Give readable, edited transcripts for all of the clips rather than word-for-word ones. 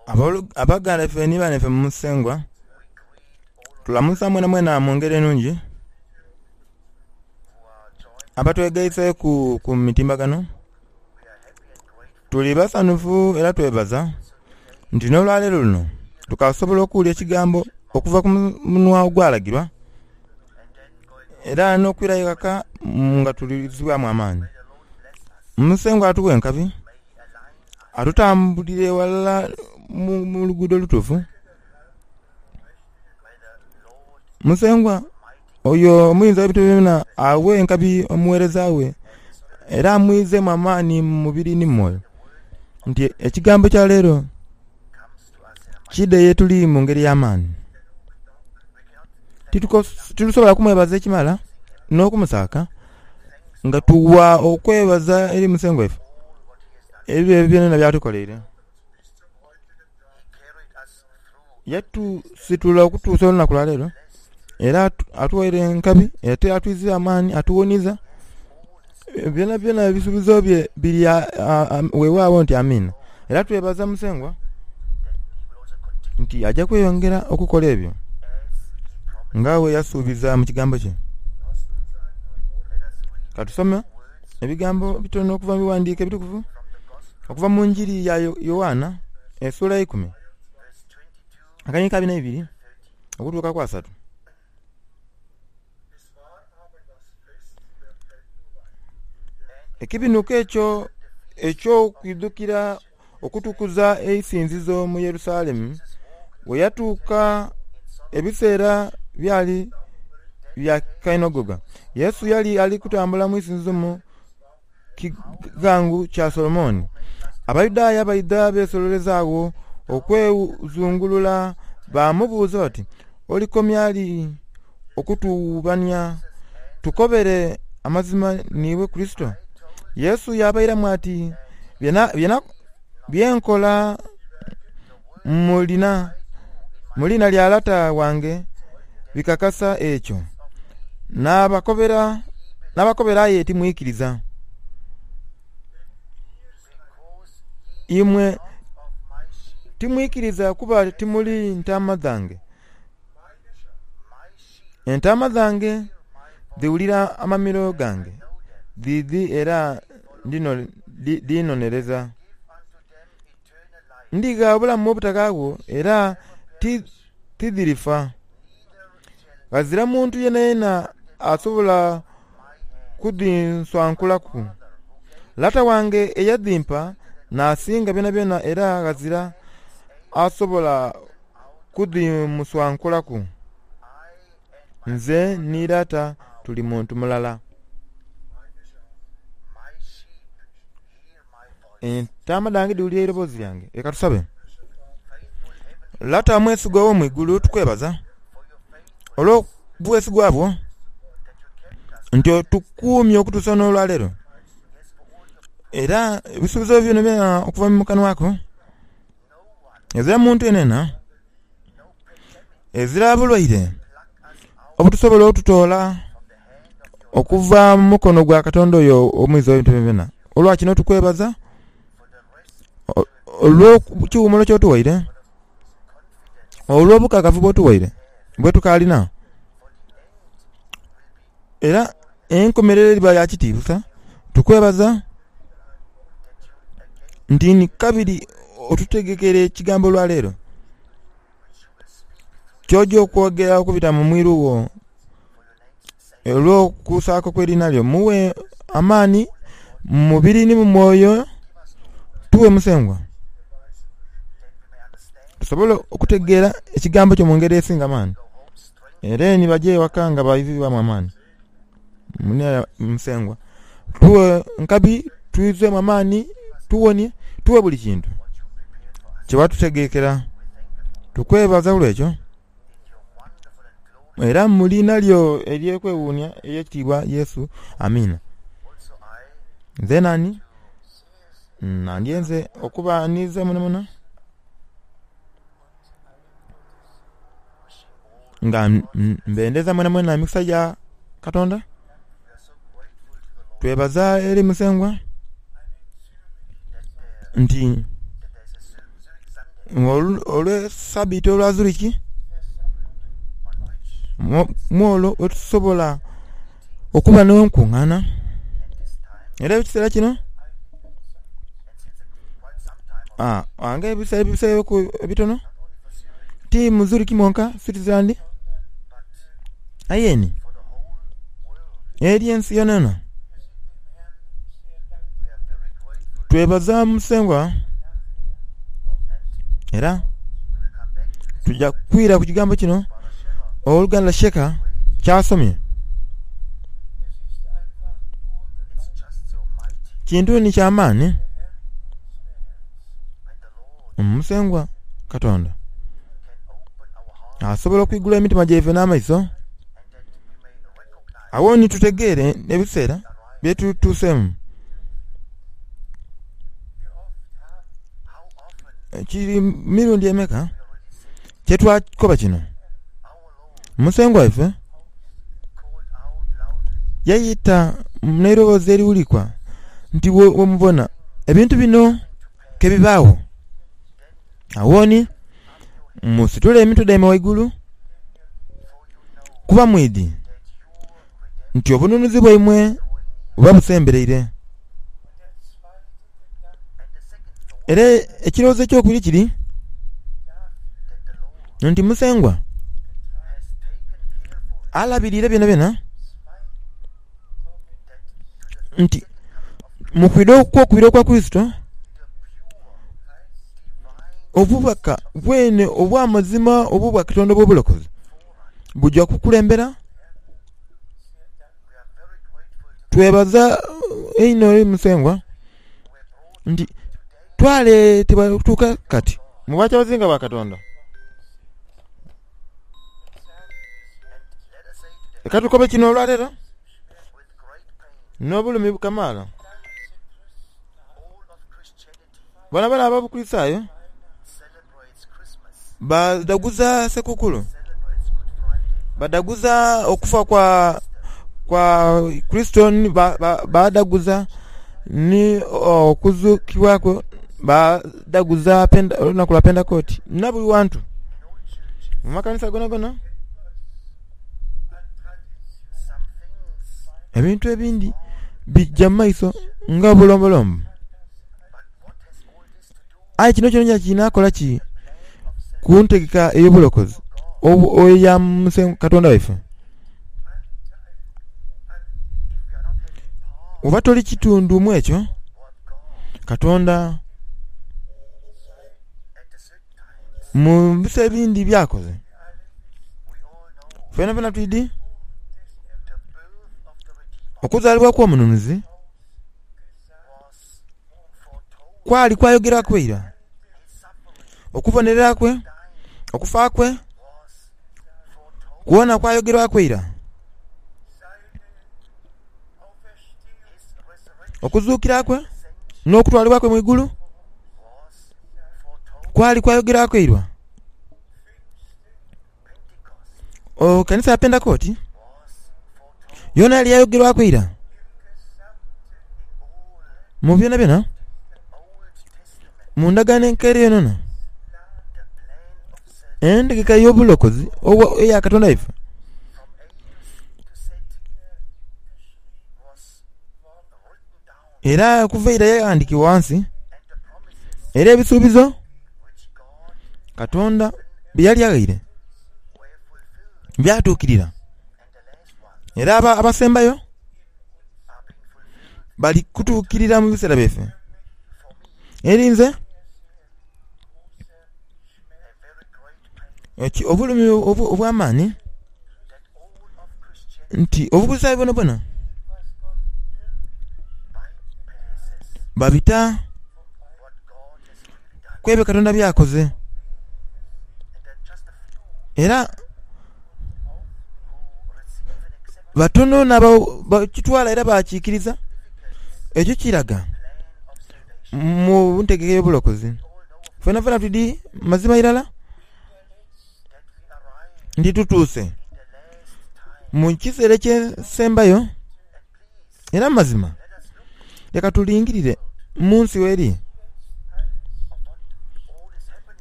Abaganda baife ni banaife mu Musengwa, tulamusa mwenamwena mu ngeri enungi abatwegaiseku ku mitimbagano. Tuli basanhufu era twebaza nti n'olwaleero luno tukasobola okuwulira ekigambo okuva ku munhwa ogwalagirwa era n'okwirayo ghaka nga tulizibwamu amaani. Musengwa atuwe enkabi, atutambulire ghalala mu luguudo olutuufu. Musengwa oyo Omuyinza ow'ebintu byonabyona awe enkabi omugheereza we era amwizeemu amaani mu mubiri ni mu mwoyo, nti ekigambo kya leero kiidhe ye tuli mu ngeri y'amaani. Titusobola kumwebaza ekimala n'okumusaaka nga tuwa okwebaza eri Musengwa waife ebyo byonabyona by'atukoleire. Yatusitula okutuusa olunaku lwa leero era atuwaire enkabi ate atwiziire amaani atuwoniiza. Byonabyona ebisuubizo bye biri weewaawo nti Amiina. Era twebaza Musengwa nti aja kweyongera okukola ebyo nga bwe yasuubiza mu kigambo kye. Ka tusome ebigambo bitono okuva mu bighandiiko ebitukuvu okuva mu Njiri ya Yoanna esuula eikumi akaniiko abiri n'eibiri okutuuka ku asatu. Ekibinuko ekyo eky'okwidhukira okutukuza eisinzizo mu Yerusalemu bwe yatuuka, ebiseera byali bya kainhogoga. Yesu yali ali kutambula mu isinzizo mu kighangu kya Solomoni. Abayudaaya baidha beesololeza agho okwezungulula baamubuuza bati, Olikomya li okutuwubania? Tukobere amazima niiwe Kurisito? Yesu yaabairamu ati, Bye nkola mu liina lya Lata wange bikakasa ekyo. Naabakobera aye timwikiriza. Imwe timwikiriza kuba timuli ntaama dhange. Entaama dhange dhiwulira amamiro gange, dhidhi era dhiinonereza. Ndigha obulamu obutaghaagho era tidhirifa. Ghazira muntu yenayena asobola kudhinswankulaku. Lata wange eyadhimpa n'asinga byonabyona era ghazira asobola kudhimuswankulaku. Nze ni Lata tuli muntu mulala. Entaama dhange dhiwulira eiroboozi lyange. Leka tusabe. Lata omwesigwa ow'omu igulu, tukwebaza olw'obwesigwa bwo nti otukuumye okutuusa n'olwaleero. Era ebisuubizo byonabyona okuva mu kanwa ko, ezira muntu yenayena, ezira bulwaire obutusobola otutoola okuva mu mukono gwa Katonda oyo Omwiza ow'ebintu byonabyona. Olwa kino tukwebaza olw'ekiwumulo ky'otuwaire, olw'obukakafu bw'otuwaire bwetukaalina. Era enkomerero eriba ya kitiisa. Tukwebaza nti ni kabiri otutegekere ekigambo olwaleero ky'oja okwogera okubita mu mwiru wo olw'okusaaka okw'eriina lyo. Mughe amaani mu mubiri ni mu mwoyo. Tughe Musengwa tusobole okutegeera ekigambo kyo mu ngeri esinga amaani. Era ni baja ewaka nga baidhibwamu amaani. Musengwa, tughe nkabi, twizemu amaani, tuwonie, tughe buli kintu kye watutegekera. Tukwebaza olw'ekyo era mu liina lyo ery'okwewuunia ery'ekitiibwa Yesu. Amiina. Nze naani? Nandyenze okubaaniriza mwenamwena. Nga mbendeza mwenamwena emikisa gya Katonda. Twebaza eri Musengwa nti. Olwe sabiiti olwa Zurich mwolwo wetusobola okuba n'enkungana era ekiseera kino nga ebiseera ebibiseewoku ebitono ti mu Zurich mwonka Switzerland aye ni eri ensi yonayona. Twebaza Musengwa era tuja kwira ku kigambo kino owoluganda Shaker kyasomye. Kintu ni kya maani Musengwa Katonda asobola okwigula emitima gyaife n'amaiso agho ni tutegeere ebiseera byetutuuseemu. Kiri mirundi emeka kyetwakoba kino? Musengwa waife yaita n'eiroboozi eriwulikwa nti, Bwemubona ebintu bino kebibaagho, agho ni musitule emitwe dhaimwe ghaigulu, kuba mwidhi nti obununuzi bwaimwe buba busembereire. Era ekirowoozo ekyokubiri kiri nti Musengwa alabiriire byonabyona nti mu kwidha okwokubiri okwa Kurisito, obubaka bwene obw'amazima obw'Obwakatonda obw'obulokozi buja kukulembera. Twebaza inho eri Musengwa nti twaleetebwa okutuuka kati mu Bwakyabazinga bwa Katonda. Leka tukobe kino olwaleero n'obulumi kamaala. Boonaboona Abakurisitaayo badhaguza Ssekukulu, badhaguza okufa kwa Kurisito, badhaguza ni okuzukibwa kwe, badhaguza olunaku lwa Pentekooti na buli ghantu mu makanisa gonagona. Ebintu ebindi bija mu maiso nga obulombolombo. Aye kino kyonakyona kinaakola ki ku ntegeka ey'obulokozi eya Musengwa Katonda waife? Oba toli kitundu mu ekyo, Katonda mu biseera ebindi by'akoze, fenafena twidhi okuzaalibwa kw'Omununuzi. Kwali kwayogeraku ira okubonerera kwe, okufa kwe, kwona kwayogerwaku ira. Okuzuukira kwe n'okutwalibwa kwe mu igulu kwali kwayogerwaku ira. Kanisa ya Pentekooti yoona yali yayogerwaku ira mu byonabyona mu Ndagaano Enkaire yonayona. Entegeka ey'obulokozi eya Katonda waife era okuva eira yaghandikibwa ghansi, era ebisuubizo Katonda bye yali aghaire byatuukirira. Era abasembayo bali kutuukirira mu biseera byaife. Eri nze, obulumi obw'amaani nti Obukulisitaayo bwonabwona babita ku ebyo Katonda by'akoze. Era batono n'abakitwala era baakiikiriza. Ekyo kiraga mu ntegeka ey'obulokozi. Fenafena twidhi mazima irala nti tutuuse mu kiseera eky'ensembayo. Era mazima leka tulingirire mu nsi w'eri.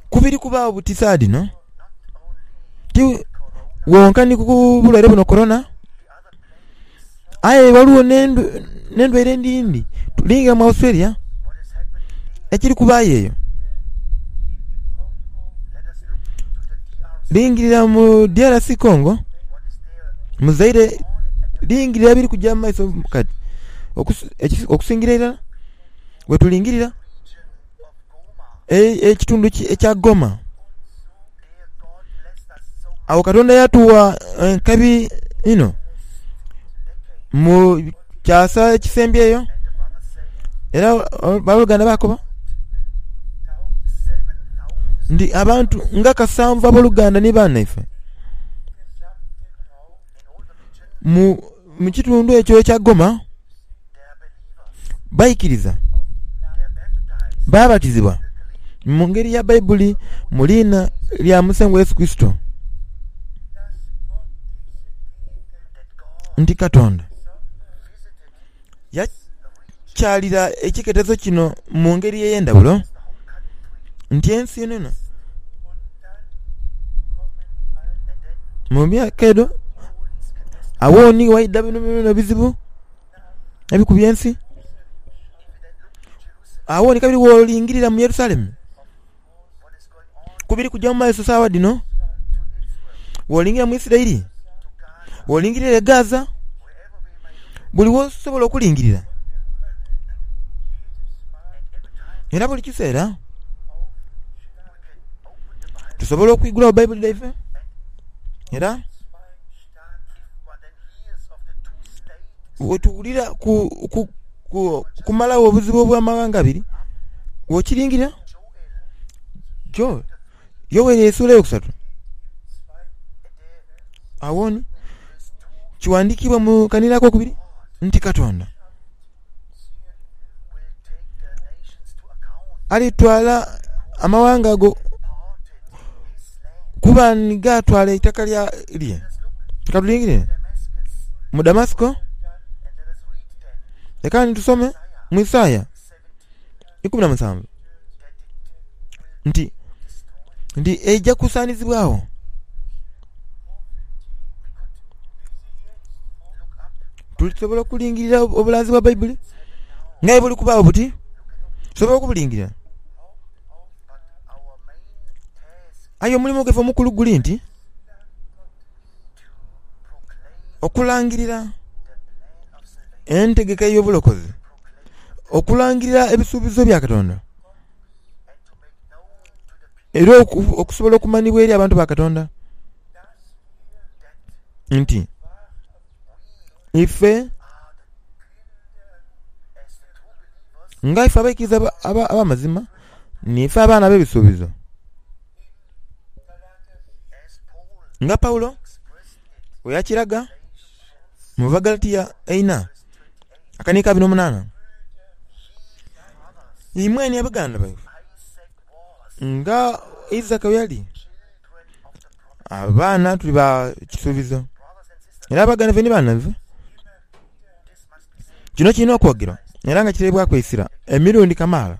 Ku biri kubaagho buti saagha dhino, ti wonka ni ku bulwaire buno Corona, aye ghaligho n'endwaire edhindi. Lingira mu Australia ekiri kubaayo eyo. Lingirira mu DRC Congo, mu Zaire, lingirira ebiri kugya mu maiso kati okusingira irala bwetulingirira ekitundu ekya Goma. Agho Katonda yatuwa enkabi inho mu kyasa ekisembyeyo era aboluganda baakoba nti abantu nga kasanvu aboluganda ni banaife mu kitundu ekyo ekya Goma baikiriza baabatizibwa mu ngeri ya Baibuli mu liina lya Musengwa Yesu Kurisito nti Katonda yakyalira ekiketezo kino mu ngeri ey'endhaghulo nti ensi yonayona mu myaka edho agho ni ghaidha bino bino ebizibu ebikubye ensi. Agho ni kabiri bw'olingirira mu Yerusalemu ku biri kuja mu maiso sawa dhino, bw'olingirira mu Isiraeli, bw'olingirira e Gaza, buli w'osobola okulingirira. Era buli kiseera tusobola okwigulagho Baibuli dhaife era Bwetuwulira ku kumalagho obuzibu obw'amaghanga abiri, bw'okiringirira, Yoeli esuula eyokusatu, agho ni kiwandiikibwa mu kanhiriri akokubiri nti Katonda alitwala amawanga ago kuba ni gaatwala eitaka lye. Ka tulingirire mu Damasiko. Leka ni tusome mu Isaaya 17 nti nti eija kusaanizibwagho. Tulisobola okulingirira obulanzi bwa Baibuli nga bwe buli kubaagho buti? Tusobola okubulingirira? Aye omulimo gwaife omukulu guli nti okulangirira entegeka ey'obulokozi, okulangirira ebisuubizo bya Katonda, era okusobola okumanhibwa eri abantu ba Katonda nti ife nga ife abaikiriza ab'amazima niife abaana ab'ebisuubizo. Nga Paulo bwe yakiraga mu Bagalatia eina akaniiko abiri n'omunaana, Imwe ni abaganda baife, nga Isaaka bwe yali, abaana tuli ba kisuubizo. Era abaganda baife ni baana baife. Kino kirina okwogerwa era nga kiteebwaku eisira emirundi kamaala.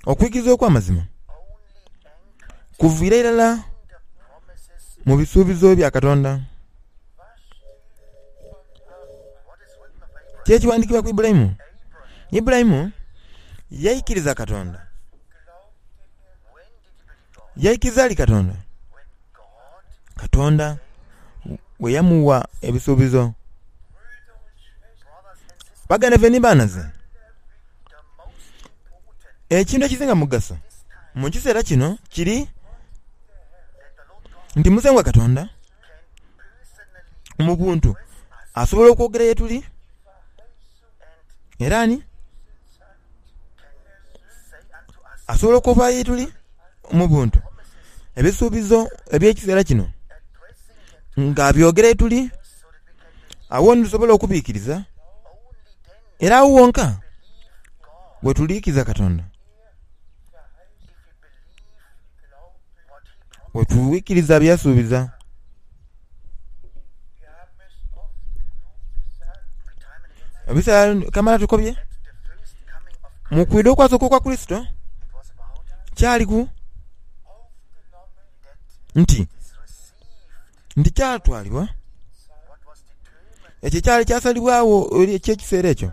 Okwikiriza okw'amazima kuviira irala mu bisuubizo bya Katonda. Ki ekiwandiikibwa ku Ibulayimu? Ibulayimu yaikiriza Katonda. Yaikiriza ali Katonda, Katonda bwe yamuwa ebisuubizo. Baganda baife ni banhaze, ekintu ekisinga mugaso mu kiseera kino kiri nti Musengwa Katonda mu buntu asobola okwogera ye tuli era ani asobola okuva ye tuli mu buntu ebisuubizo eby'ekiseera kino nga abyogera ye tuli, agho ni tusobola okubiikiriza era agho wonka we tuliikiriza Katonda, we twikiriza bye yasuubiza. Ebiseera kamala tukobye mu kwidha okwasooka okwa Kurisito. Kyaliku nti, nti kyatwalibwa, ekyo ekyali kyasalibwagho eky'ekiseera ekyo.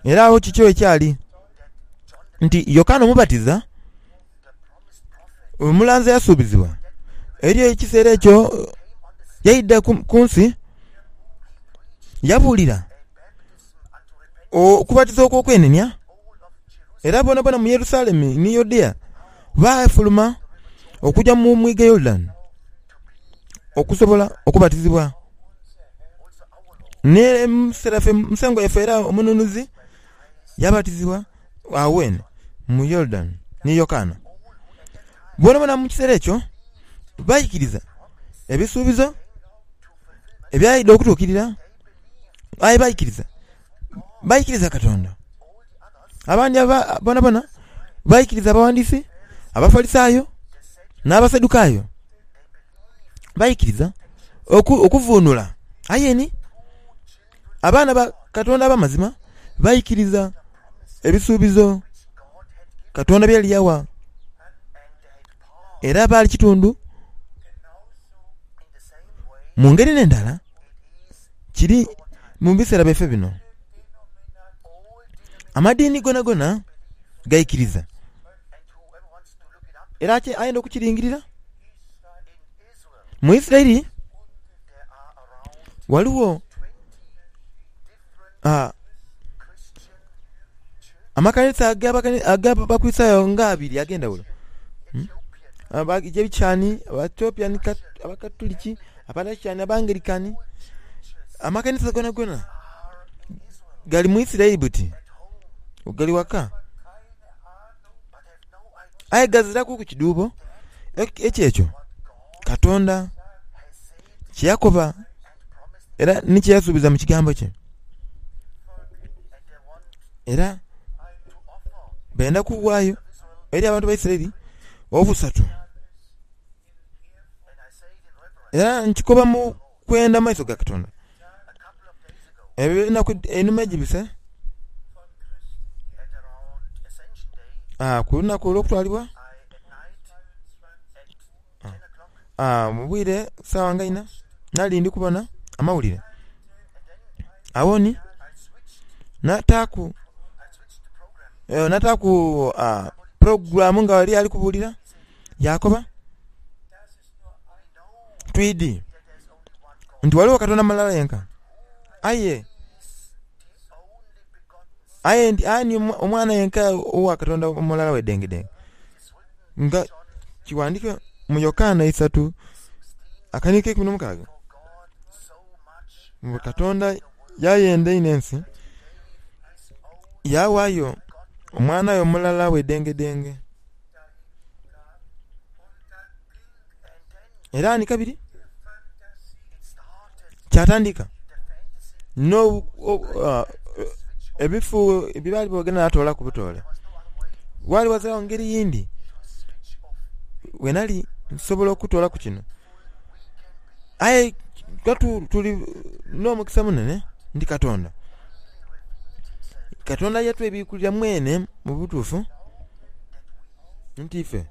Era agho kikyo ekyali, nti Yokaana Omubatiza, omulanzi eyasuubizibwa eri ekiseera ekyo, yaidha ku nsi yabuulira okubatiza okw'okwenenia, era boonaboona mu Yerusalemi ni Yudea baafuluma okuja mu mwiga Yorudani okusobola okubatizibwa. Ni Musengwa waife era Omununuzi yabatizibwa agho ghene mu Yorudani ni Yokaana. Boonaboona mu kiseera ekyo baikiriza ebisuubizo ebyaidha okutuukirira, aye baikiriza, baikiriza Katonda. Abandi boonaboona baikiriza abawandiisi, Abafalisaayo n'Abasadukaayo. Baikiriza okuvuunula. Aye ni abaana ba Katonda ab'amazima baikiriza ebisuubizo Katonda bye yali yawa, era baali kitundu. Mu ngeri n'endala, kiri mu biseera byaife bino. Amadiini gonagona gaikiriza. Era ayenda okukiringirira. Mu Isiraeli ghaligho amakanisa ag'Abakulisitaayo nga abiri ag'endhaghulo, Abagyebikani, Abaethiopia, Abakatuliki, Abarashiani, Abangilikani. Amakanisa gonagona gali mu Isiraeli buti gali waka. Aye ghaziraku ku kidhuubo eky'ekyo Katonda kye yakoba era ni kye yasuubiza mu Kigambo kye. Era benda kuwaayo eri abantu ba Isiraeli obusatu. Era nkikoba mu kwenda mu maiso ga Katonda. Enaku einhuma egibise, ku lunaku olw'okutwalibwa, mu bwire sawa nga inha, nali ndi kubona amawulire. Agho ni nataaku nataaku pulogulaamu nga ghaliyo ali kubulira, yaakoba, Twidhi nti ghaligho Katonda mulala yenka, aye aye nti aye ni Omwana yenka owa Katonda omulala bwedengedenge. Nga kiwandike mu Yokaana isatu akaniiko keikumi n'omukaaga, mbu Katonda yayenda inho ensi, yaawaayo Omwana we omulala bwedengedenge. Era ni kabiri kyatandika n'ebifu bye baali boogera n'atoolaku butoole. Waali ghaziragho ngeri yindi bwe nali nsobola okutoolaku kino. Aye tuli n'omukisa munene nti Katonda, Katonda yatwebiikulira mwene mu butuufu nti ife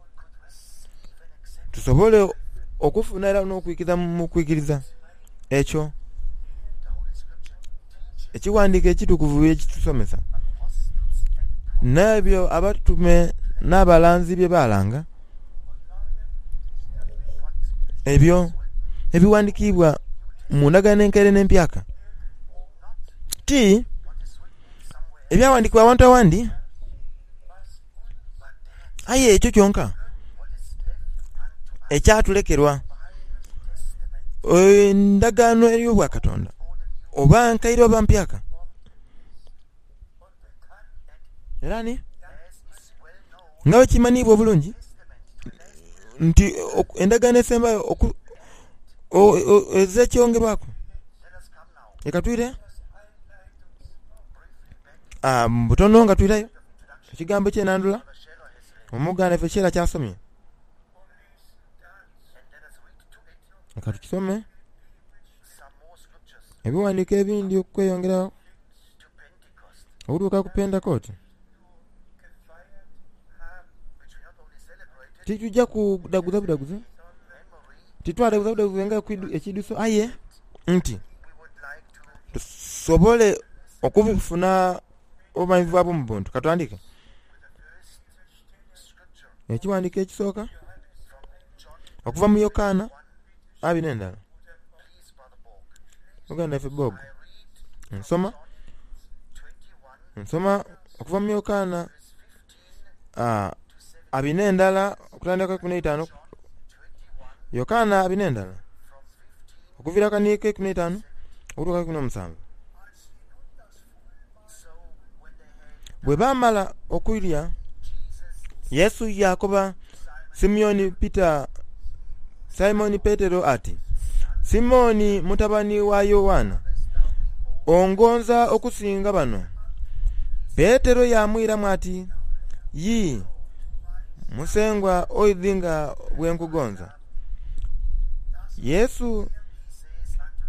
tusobole okufuna era n'okwikiriza mu kwikiriza ekyo Ekighandiiko Ekitukuvu bye kitusomesa, n'ebyo abatume n'abalanzi bye baalanga, ebyo ebighandikiibwa mu Ndagaano Enkaire n'Empyaka, ti ebyaghandiikibwa awantu aghandi. Aye ekyo kyonka ekyatulekerwa endagaano ey'obwakatonda, oba nkaire oba mpyaka. Era ni nga bwe kimanhiibwa obulungi nti endagaano esembayo ezira kyongerwaku. Leka twire mu butono nga twirayo. Ekigambo eky'enandhula omuganda ife Sheila ky'asomye. Leka tukisome. Ebighandiiko ebindi okweyongerayo okutuuka ku Pentekooti. Tituja kudaguza budaguze, titwadaguza budaguze nga ekiidhuso aye nti tusobole okufuna obumanhivu obw'omu buntu. Katutandike ekighandiiko ekisooka okuva mu Yokaana abiri n'endala. Muganda waife Bob, nsoma, nsoma okuva mu Yokaana abiri n'endala okutandika ku eikumi n'eitaanu. Yokaana abiri n'endala okuviira ku kanhiriri ak'eikumi n'eitaanu okutuuka ku eikumi n'omusanvu. Bwe baamala okulya, Yesu yaakoba Simioni Pita, Simoni Petero ati, Simoni mutabani wa Yoanna, ongonza okusinga bano? Petero yaamwiramu ati, Yii, Musengwa oidhi nga bwe nkugonza. Yesu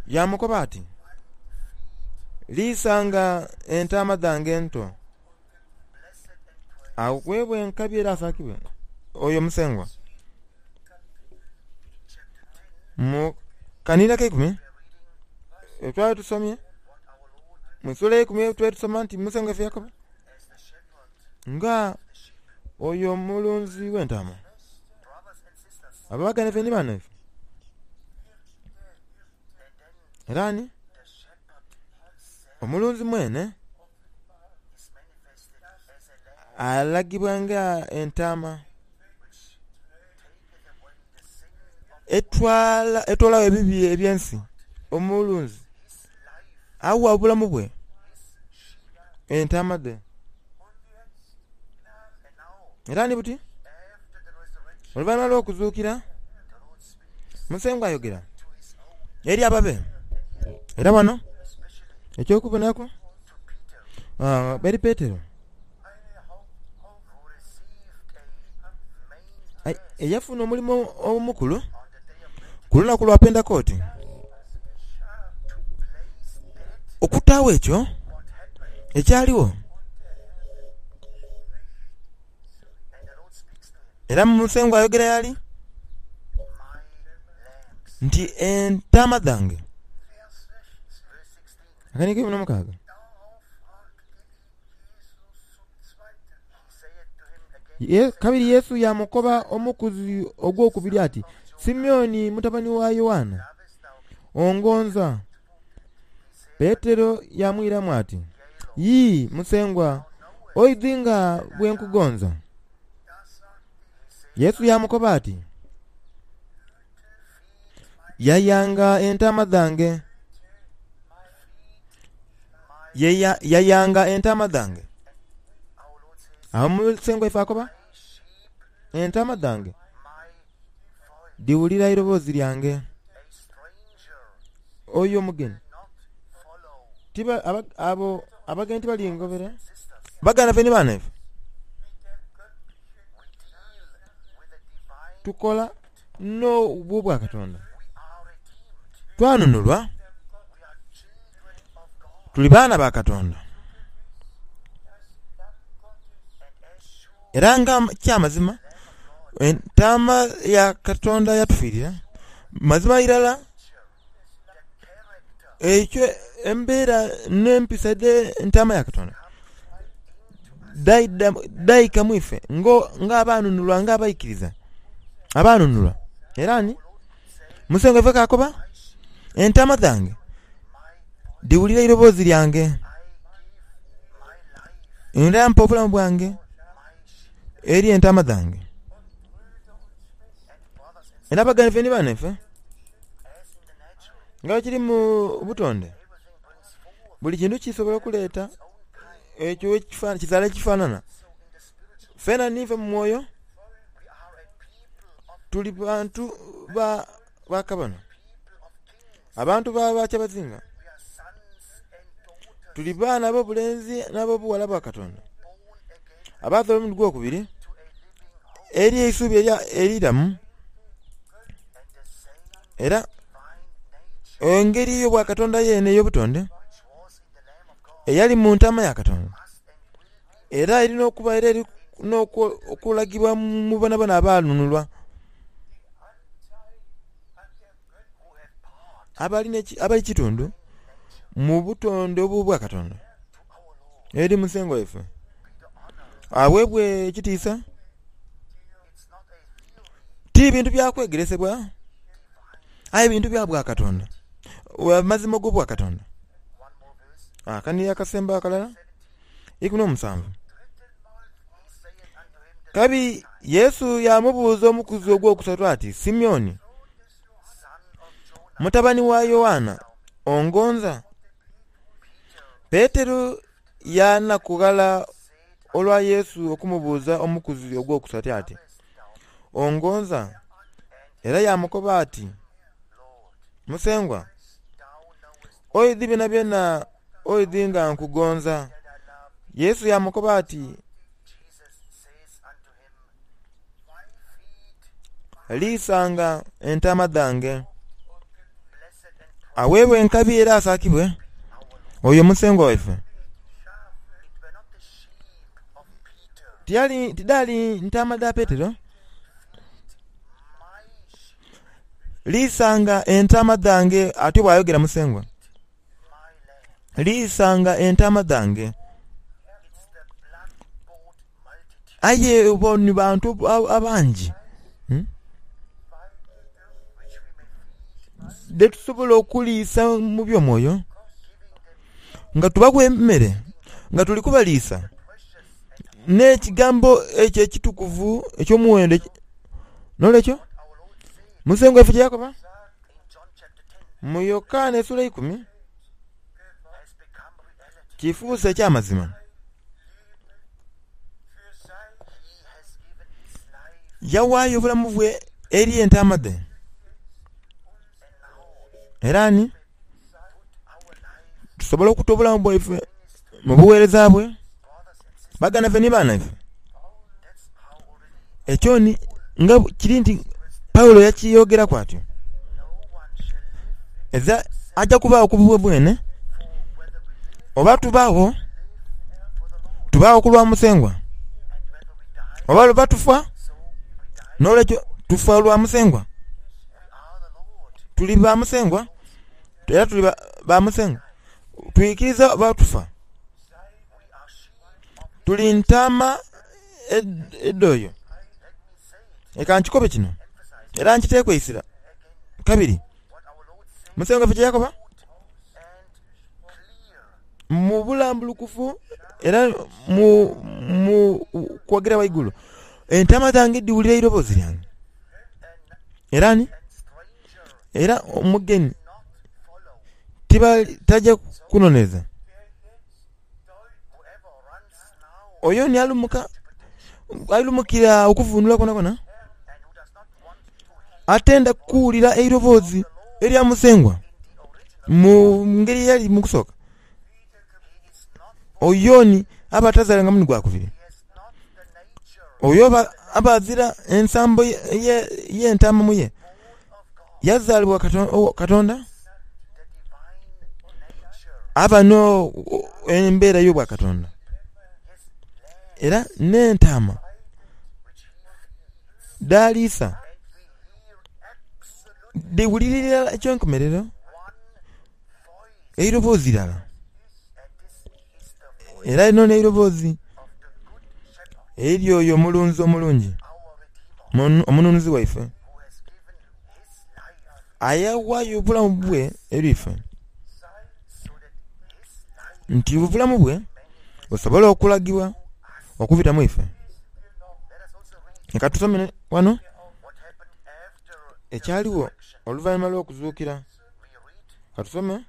yaamukoba ati, Liisanga entaama dhange ento. Agheebwe enkabi era asaakibwe oyo Musengwa. Mu kanhiriri ak'eikumi twali tusomye, mu isuula ey'eikumi twali tusoma nti Musengwa ife yakoba nga oyo omulunzi w'entaama. Abaganda ife ni banaife. Era ani? Omulunzi mwene alagibwa nga entaama etwala etoolagho ebibi eby'ensi. Omulunzi agha obulamu bwe entaama dhe. Era ni buti, oluvainhuma lw'okuzuukira, Musengwa ayogera eri ababe. Era wano eky'okubonaku eri Petero eyafuna omulimo omukulu ku lunaku lwa Pentekooti okutaagho ekyo ekyaligho. Era Musengwa ayogera y'ali nti, Entaama dhange. Akanigo keikumi n'omukaaga. Kabiri Yesu yaamukoba omukuzi ogwokubiri ati, Simioni mutabani wa Yoanna, ongonza? Petero yaamwiramu ati, Yii, Musengwa, oidhi nga bwe nkugonza. Yesu yaamukoba ati, Yayanga entaama dhange. Yayanga entaama dhange. Agho Musengwa ife akoba, Entaama dhange dhiwulira eiroboozi lyange. Oyo omugeni tiba abo abageni tibalingobera. Baganda baife ni banaife, tukola n'obwobwakatonda. Twanunulwa, tuli baana ba Katonda. Era nga kyamazima Entaama ya Katonda yatufiirira, mazima irala ekyo embeera n'empisa edh'Entaama ya Katonda dhaidha dhaika mu ife ng'abaanunulwa, ng'abaikiriza abaanunulwa. Era ni Musengwa ife k'akoba, Entaama dhange dhiwulira eiroboozi lyange, era mpa obulamu bwange eri entaama dhange. Era baganda baife ni banaife, nga bwe kiri mu butonde, buli kintu kisobola okuleeta ekyo kizaala ekifanana. Fena niife mu mwoyo tuli bantu ba kabona, abantu ba bakyabazinga. Tuli baana ab'obulenzi n'ab'obughala ba Katonda, abazairwa omulundi gw'okubiri eri eisubi eiramu, era engeri ey'obwakatonda yeene ey'obutonde eyali mu ntaama ya Katonda, era eri n'okuba era eri. n'okulagibwa mu bonabona abaanunulwa abali kitundu mu butonde obw'obwa Katonda eri Musengwa waife aweebwe ekitiisa. Ti bintu bya kwegeresebwa aye bintu bya bwa Katonda, amazima ag'obwa Katonda. Akaniiro akasemba akalala, 17. Kabiri Yesu yaamubuuza omukuzi ogwokusatu ati, Simioni, mutabani wa Yoanna, ongonza? Petero yaanakughala olwa Yesu okumubuuza omukuzi ogwokusatu ati, Ongonza? Era yaamukoba ati, Musengwa, oidhi byonabyona, oidhi nga nkugonza. Yesu yaamukoba ati, Liisanga entaama dhange. Aweebwe enkabi era asaakibwe oyo Musengwa waife. Tidhaali ntaama dha Petero. Liisanga entaama dhange, atyo bw'ayogera Musengwa. Liisanga entaama dhange. Aye bo ni bantu abangi betusobola okuliisa mu by'omwoyo nga tubagha emere nga tuli kubaliisa n'ekigambo ekyo ekitukuvu eky'omuwendo. N'olwekyo, Musengwa waife kye yakoba mu Yokaana esula eikumi kifuuse eky'amazima. Yawaayo obulamu bwe eri entaama dhe. Era ni tusobola okuta obulamu bwaife mu bugheereza bwe, baganda baife ni baana ife. Ekyo ni nga kiri nti Paulo yakyeyogeraku atyo. Eza aja kubaagho ku bubwe bwene, oba tubaagho, tubaagho ku lwa Musengwa, oba luba tufa, n'olwekyo tufa lwa Musengwa. Tuli ba Musengwa era tuli ba Musengwa. Twikiriza oba tufa. Tuli ntaama edh'oyo. Leka nkikobe kino era nkiteeku eisira kabiri. Musengwa waife kye yakoba mu bulambulukufu era mu kwogera ghaigulu, Entaama dhange dhiwulira eiroboozi lyange. Era ani? Era omugeni taja kunoneza. Oyo ni alumuka, alumukira okuvunula kwonakwo, atenda kuwulira eiroboozi erya Musengwa mu ngeri eyali mu kusooka. Oyo ni aba atazaalanga mulundi gwa kubiri. Oyo aba azira ensambo y'entaama mu ye. Yazaalibwa Katonda, aba n'embeera ey'obwakatonda. Era n'entaama dh'aliisa dhiwulirira irala eky'enkomerero eiroboozi irala. Era lino n'eiroboozi ery'oyo omulunzi omulungi, omununuzi waife, ayaghaayo obulamu bwe eri ife, nti obulamu bwe busobole okulagibwa okubita mu ife. Leka tusome ghano ekyaligho oluvainhuma lw'okuzuukira. Ka tusome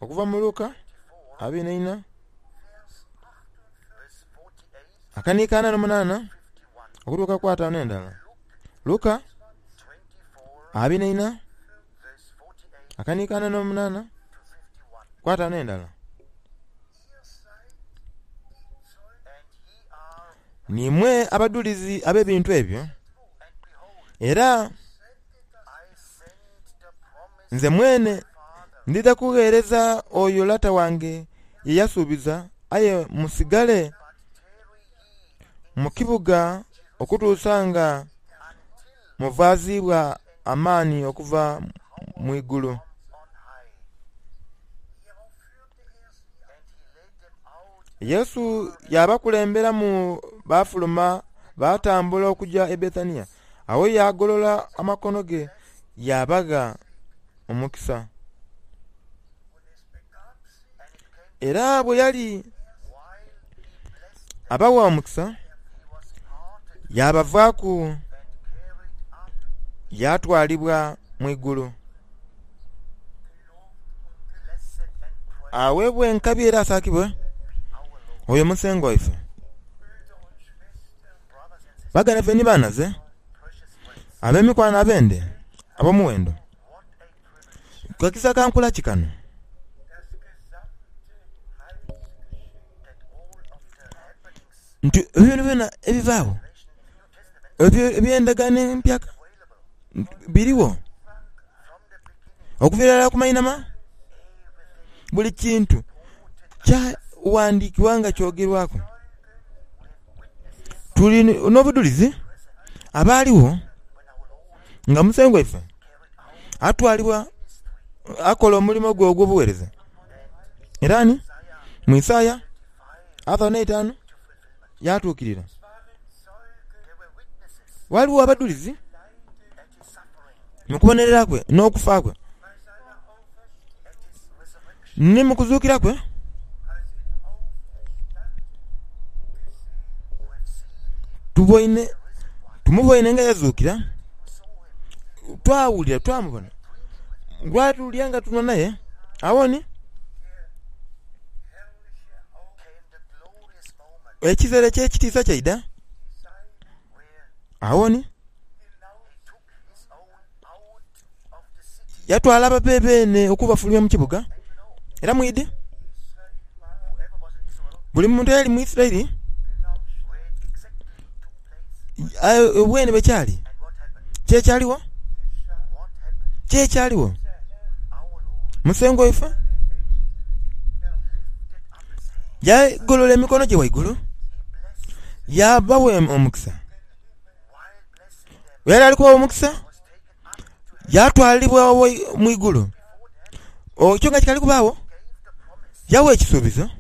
okuva mu Luka 24 akaniiko 48 okutuuka ku 51. Luka 24 akaniiko 48 ku 51. Niimwe abadhulizi ab'ebintu ebyo, era Nze mwene ndidha kugheereza oyo Lata wange ye yasuubiza, aye musigale. mu kibuga okutuusa nga muvaaziibwa amaani okuva mu igulu. Yesu yaabakulemberamu baafuluma baatambula okuja e Bethania. Agho yaagolola amakono ge yaabagha omukisa. Era bwe yali abawa omukisa, yaabavaaku yaatwalibwa mu igulu. Aweebwe enkabi era asaakibwe oyo Musengwa waife. Baganda baife ni banhaze, ab'emikwano abende ab'omuwendo, kakisa ka nkula ki kano? Nti ebyo byonabyona ebibaagho eby'Endagaano Empyaka birigho okuviira irala ku mainhama. Buli kintu kyaghandiikibwa nga kyogerwaku. Tuli n'obudhulizi abaaligho nga Musengwa waife atwalibwa akola omulimo gwe ogw'obugheereza. Era ni mu Isaaya asatu n'eitaanu yaatuukirira. Ghaligho abadhulizi mu kubonerera kwe n'okufa kwe, ni mu kuzuukira kwe. Tuboine, tumuboine nga yazuukira, twawulira, twamubona, lwatulya nga tunhwa naye. Agho ni ekiseera eky'ekitiisa kyaidha. Agho ni yatwala ababe beene okubafulumya mu kibuga. Era mwidhi, buli muntu eyali mu Isiraeli bwene bwe kyali, ki ekyaligho? Ki ekyaligho? Musengwa waife yagolola emikono gye ghaigulu, yaabagha omukisa. Bwe yali ali kubagha omukisa, yaatwalibwa mu igulu. Ekyo nga kikaali kubaagho, yagha ekisuubizo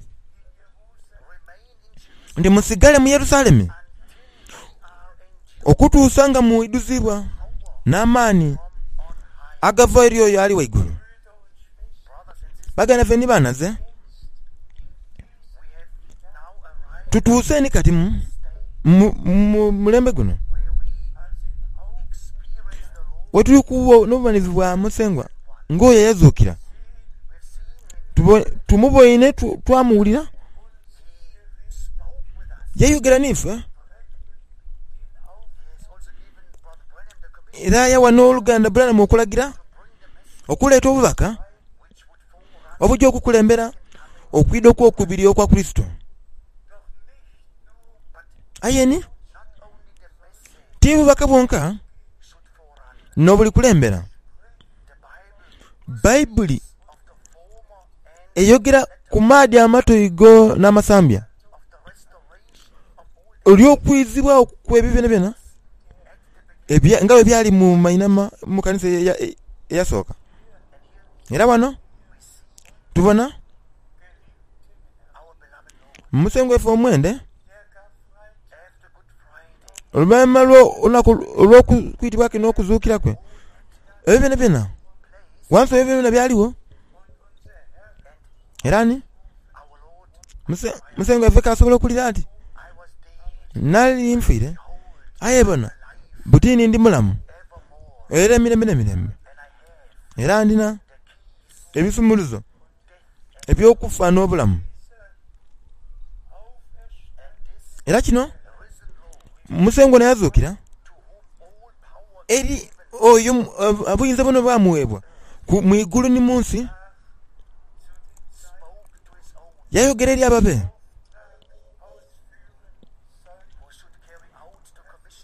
nti, Musigale mu Yerusalemi okutuusa nga mwidhuzibwa n'amaani agava eri oyo Ali Ghaigulu. Baganda baife ni banhaze, tutuuse ni kati mu mulembe guno we tuli kubona obubonherezo bwa Musengwa ng'oyo eyazuukira. Tumuboine twamuwulira, yayogera n'ife era yawa n'oluganda Branham okulagira okuleeta obubaka obuja okukulembera okwidha okw'okubiri okwa Kurisito. Aye ni, ti bubaka bwonka n'obulikulembera. Baibuli eyogera ku maadhi amatoigo n'amasambya olw'okwizibwagho kw'ebyo byonabyona nga bwe byali mu mainhama mu kanisa eyasooka. Era ghano tubona Musengwa waife omwende oluvainhuma lw'olunaku olw'okwitibwa kwe n'okuzuukira kwe, ebyo byonabyona ghansi ebyo byonabyona byaligho. Era ni Musengwa waife k'asobola okulira ati, Nali nfiire, aye bona, buti ni ndi mulamu era emirembe n'emirembe, era ndina ebisumuluzo eby'okufa n'obulamu. Era kino Musengwa ono yazuukira eri oyo obuyinza bwona obwamugheebwa mu igulu ni mu nsi, yayogera eri ababe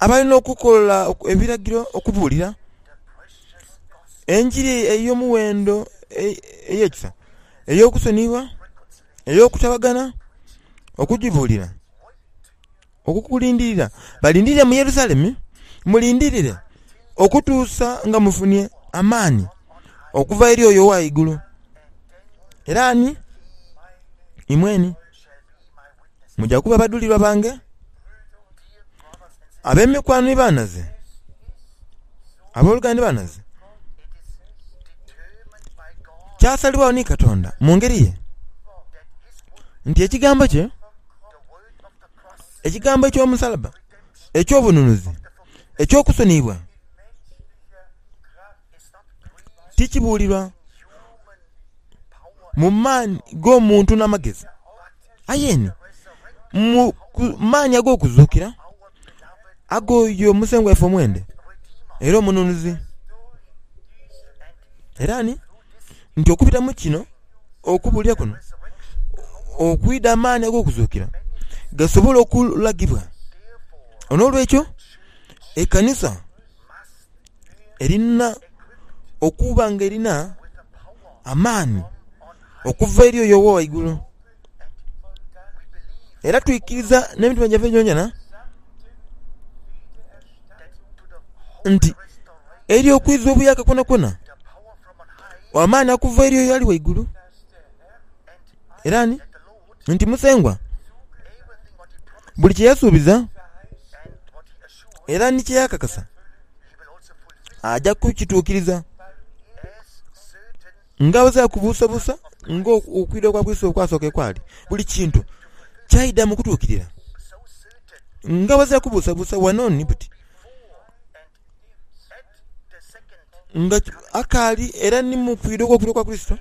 abalina okukola ebiragiro okubuulira enjiri ey'omuwendo ey'ekisa, ey'okusoniyibwa, ey'okutabagana, okugibuulira. Okukulindirira. Balindirire mu Yerusalemi, mulindirire okutuusa nga mufunye amaani okuva eri oyo owa ghaigulu. Era ni imweni muja kuba badhulirwa bange, ab'emikwano ni banhaze, aboluganda ni banhaze. Kyasalibwagho ni Katonda mu ngeri ye nti ekigambo kye, ekigambo eky'omusalaba, eky'obununuzi, eky'okusoniyibwa, tikibuulirwa mu maani g'omuntu n'amagezi, aye ni mu maani ag'okuzuukira ag'oyo Musengwa waife omwende era Omununuzi. Era ni nti okubita mu kino, okubuulira kuno okwidha amaani ag'okuzuukira gasobole okulagibwa. N'olwekyo ekanisa erina okuba nga erina amaani okuva eri oyo owa ghaigulu. Era twikiriza n'emitima gyaife gyonagyona nti eri okwiza obuyaaka kwonakwona, amaani okuva eri oyo ali ghaigulu, era ni nti Musengwa buli kye yasuubiza era ni kye yakakasa aja kukituukiriza nga ghazira kubuusabuusa ng'okwidha kwa Kurisito okwasooka ekwali. Buli kintu kyaidha mu kutuukirira nga ghazira kubuusabuusa wano ni buti nga akaali era ni mu kwidha okw'okubiri okwa Kurisito,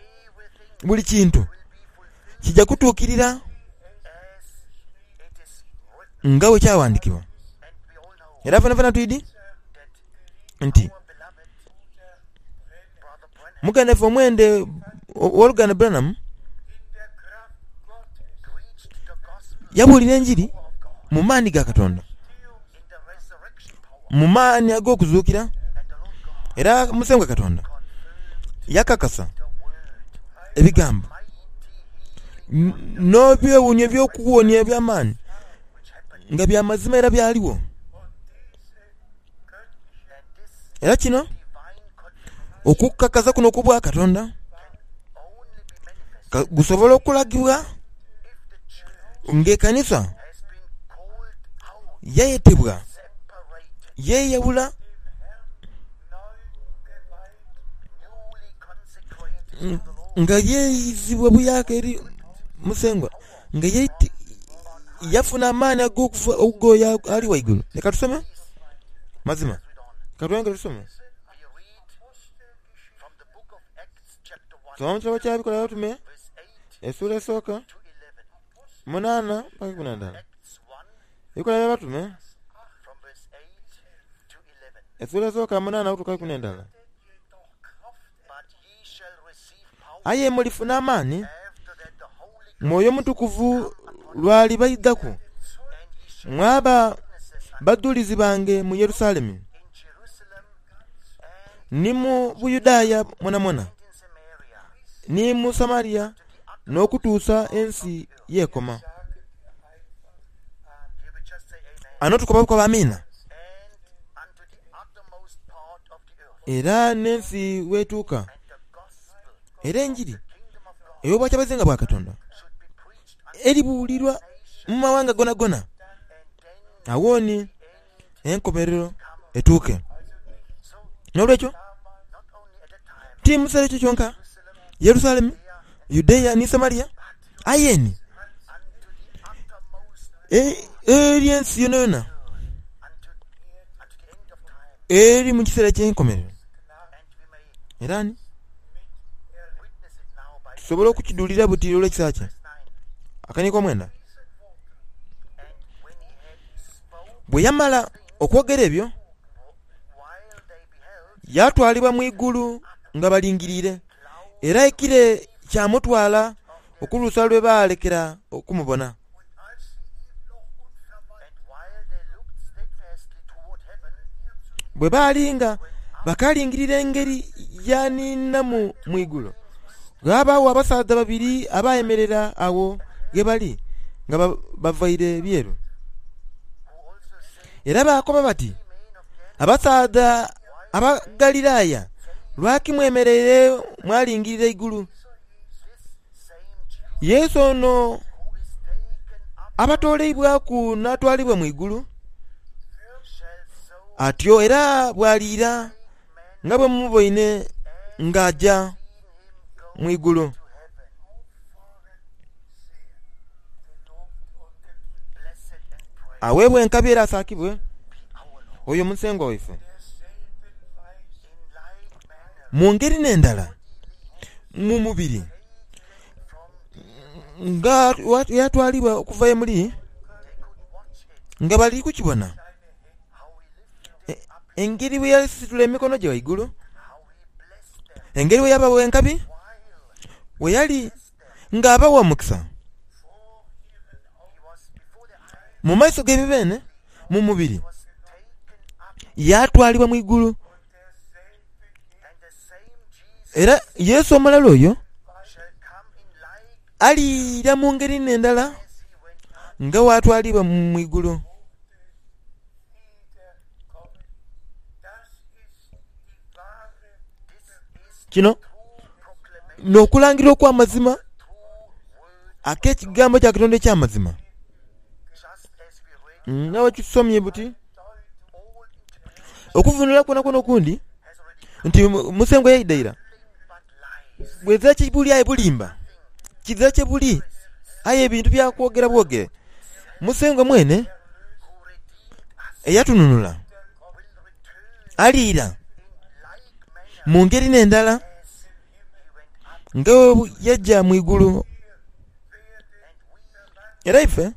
buli kintu kija kutuukirira nga bwe kyawandikibwa. Era fenafena twidhi nti muganda waife omwende ow'oluganda Branham yabuulira enjiri mu maani ga Katonda, mu maani ag'okuzuukira, era Musengwa Katonda yakakasa ebigambo n'ebyewuunhio eby'okuwonia eby'amaani nga bya mazima era byaligho. Era kino, okukakasa kuno okw'Obwakatonda kusobola okulagibwa ng'ekanisa yayetebwa, yeyawula nga yeizibwa buyaaka eri Musengwa, nga yafuna amaani ag'okuva oyo Ali Ghaigulu. Leka tusome. Mazima. Ka tweyongere tusome. Soma mu kitabo kya Bikolwa By'Abatume esuula esooka, munaana paka ikumi na ndala. Ebikolwa by'Abatume esuula esooka munaana okutuuka ikumi n'endala. Aye mulifuna amaani, Mwoyo Mutukuvu lw'alibaidhaku, mwaba badhulizi bange mu Yerusalemu, ni mu Buyudaaya mwonamwona, ni mu Samaria, n'okutuusa ensi y'ekoma. Ghano tukoba bukobe Amiina. Era n'ensi w'etuuka. Era enjiri ey'Obwakyabazinga bwa Katonda eribuulirwa mu mawanga gonagona, agho ni enkomerero etuuke. N'olwekyo, ti mu kiseera ekyo kyonka, Yerusalemu, Yudea ni Samaria, aye ni eri ensi yonayona eri mu kiseera eky'enkomerero. Era ni tusobola okukidhulira buti olw'ekisa kye. Akaniiko omwenda. Bwe yamala okwogera ebyo, yaatwalibwa mu igulu nga balingiriire, era ekire kyamutwala okutuusa lwe baalekera okumubona. Bwe baali nga bakaalingirira engeri y'aniinamu mu igulu, ghaabaagho abasaadha babiri abaayemerera agho ghe bali nga bavaire byeru. Era baakoba bati, Abasaadha Abagalilaya, lwaki mwemereire mwalingirira eigulu? Yesu ono abatooleibwaku n'atwalibwa mu igulu, atyo era bw'aliira nga bwe mumuboine ng'aja mu igulu. Aweebwe enkabi era asaakibwe oyo Musengwa waife. Mu ngeri n'endala, mu mubiri, nga yatwalibwa okuva ye muli, nga bali kukibona engeri bwe yasitula emikono gye ghaigulu, engeri bwe yabawa enkabi, bwe yali ng'abawa omukisa mu maiso gaibwe beene mu mubiri, yaatwalibwa mu igulu. Era Yesu omulala oyo aliira mu ngeri n'endala nga bw'atwaliibwa mu igulu. Kino n'okulangirira okw'amazima ak'ekigambo kya Katonda eky'amazima. Nga bwe tusomye buti, okuvunula kwonakwona okundi nti Musengwa yaidha ira, bwezira kye buli aye bulimba, kizira kye buli aye bintu bya kwogera bwogere. Musengwa mwene eyatununula aliira mu ngeri n'endala nga bwe yaja mu igulu. Era ife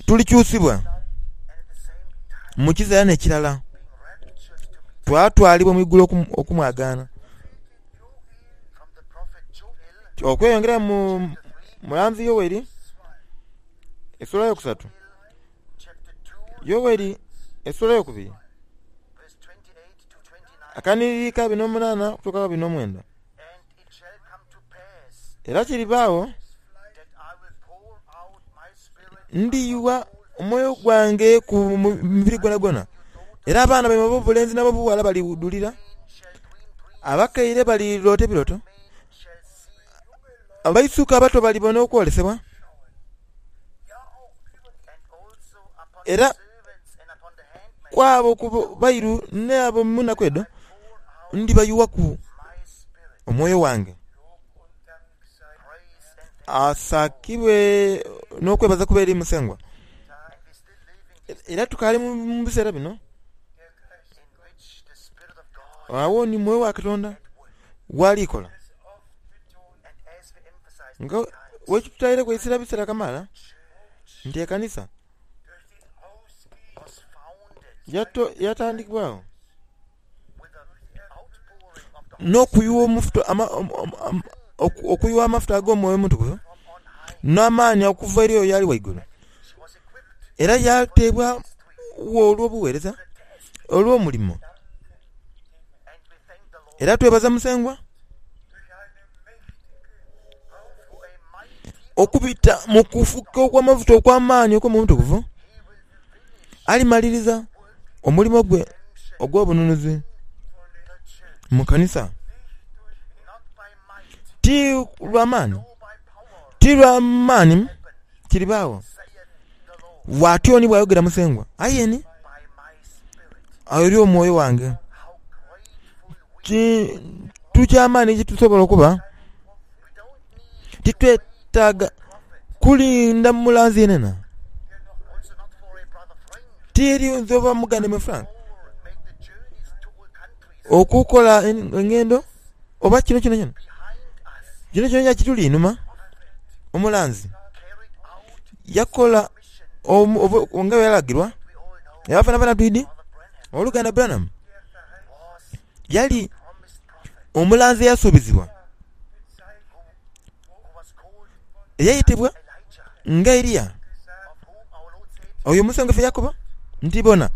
tulikyusibwa mu kiseera n'ekirala, twatwalibwa mu igulu okumwagaana. Okweyongera mu mulanzi Yoeli esula eyokusatu, Yoeli esula eyokubiri akanhiriri ka abiri n'omunaana okutuuka ku abiri n'omwenda. Era kiribaagho ndiyugha omwoyo gwange ku mubiri gwonagwona, era abaana baimwe ab'obulenzi n'ab'obughala balidhulira, abakaire baliroota ebirooto, abaisuka abato balibona okwolesebwa, era ku abo ku bairu n'abo mu naku edho ndibayughaku omwoyo wange. Asaakibwe n'okwebaza kube eri Musengwa. Era tukaali mu biseera bino, agho ni Mwoyo wa Katonda w'ali kola. Nga bwekitutaireku eisira ebiseera kamaala nti ekanisa yatandikibwagho n'okuyugha okuyugha amafuta ag'Omwoyo Omutukuvu n'amaani okuva eri oyo ali ghaigulu. Era yaateebwagho olw'obugheereza, olw'omulimo. Era twebaza Musengwa okubita mu kufuka okw'amafuta okw'amaani okw'Omwoyo Omutukuvu, alimaliriza omulimo gwe ogw'obununuzi mu kanisa. Ti lwa maani, ti lwa maani kiribaagho, bw'atyo ni bw'ayogera Musengwa, aye ni eri omwoyo wange. Kintu kya maani kye tusobola okuba. Titwetaaga kulinda mulanzi yenayena. Ti eri nze oba muganda mwe Frank okukola engendo oba kino kyonakyona. Kino kyonakyona kituli inhuma. Omulanzi yakola nga bwe yalagirwa era fenafena twidhi Owoluganda Branham yali omulanzi eyasuubizibwa eyaitibwa nga Eriya. Oyo Musengwa ife yakoba nti, Bona,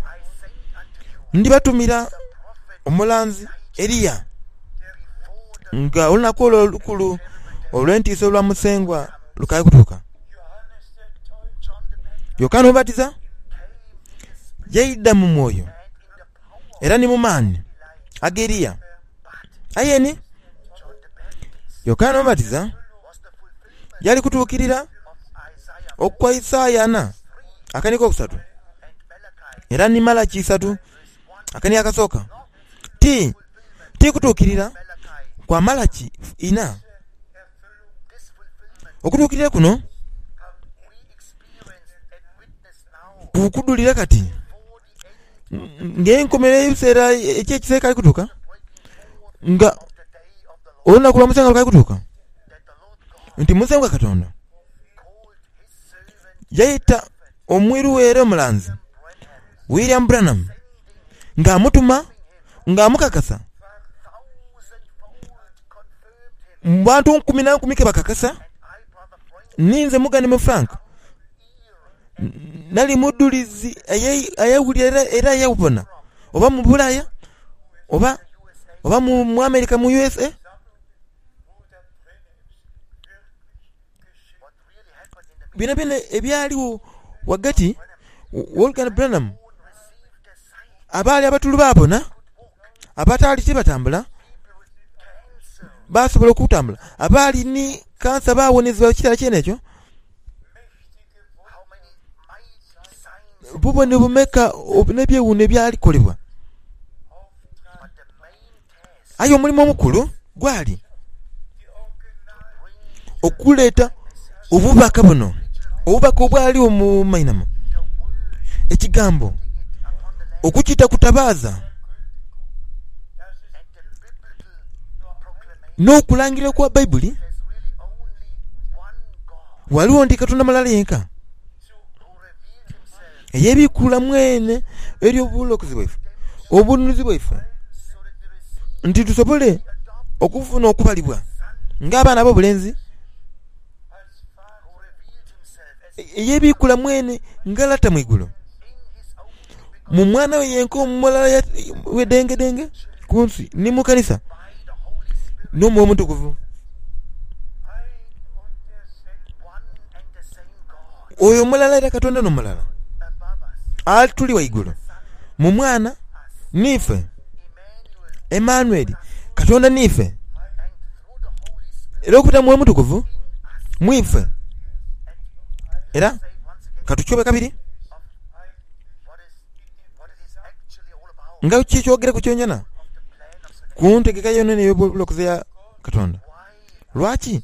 ndibatumira omulanzi Eriya, nga olunaku olwo olukulu olw'entiisa olwa Musengwa lukaali kutuuka. Yokaana Omubatiza. Yaidha mu mwoyo era ni mu maani ag'Eriya. Aye ni Yokaana Omubatiza yali kutuukirira okwa Isaaya ana akani kokusatu era ni Malaki isatu akani akasooka. Ti, ti kutuukirira kwa Malaki inha. Okutuukirira kuno kukudhulira kati ng'enkomerero y'ebiseera eky'ekisa ekaali kutuuka, nga olunaku lwa Musengwa lukaali kutuuka, nti Musengwa Katonda yaita omwiru we era omulanzi William Branham ng'amutuma, ng'amukakasa mu bantu nkumi na nkumi ke bakakasa, ninze mugane Frank. Nali mudhulizi eyawulira era eyabona, oba mu Bulaaya, oba oba mu America mu USA. Byonabyona ebyaligho ghagati w'oluganda Branham, abaali abatulu baabona, abataali tibatambula baasobola okutambula, abaali ni kansa baawonezebwa ekiseera kyene ekyo. Bubonero bumeka n'ebyewuunho ebyalikolebwa? Aye omulimo omukulu gwali okuleeta obubaka buno, obubaka obwaligho mu mainhama, Ekigambo, okukita ku tabaaza, n'okulangirira kwa Baibuli. Ghaligho nti Katonda mulala yenka eyebiikula mwene eri obulokozi bwaife, obununuzi bwaife, nti tusobole okufuna okubalibwa ng'abaana ab'obulenzi. Eyebiikula mwene nga Lata mu igulu, mu Mwana we yenka omulala bwedengedenge ku nsi ni mu kanisa n'Omwoyo Omutukuvu. Oyo mulala era Katonda n'omulala atuli waigulu mu Mwana n'ife, Emmanueli, Katonda n'ife, era okubita mu Mwoyo Omutukuvu mu ife. Era ka tukyobe kabiri nga kikyogereku kyonkyona ku ntegeka yonayona ey'obulokozi eya Katonda. Lwaki?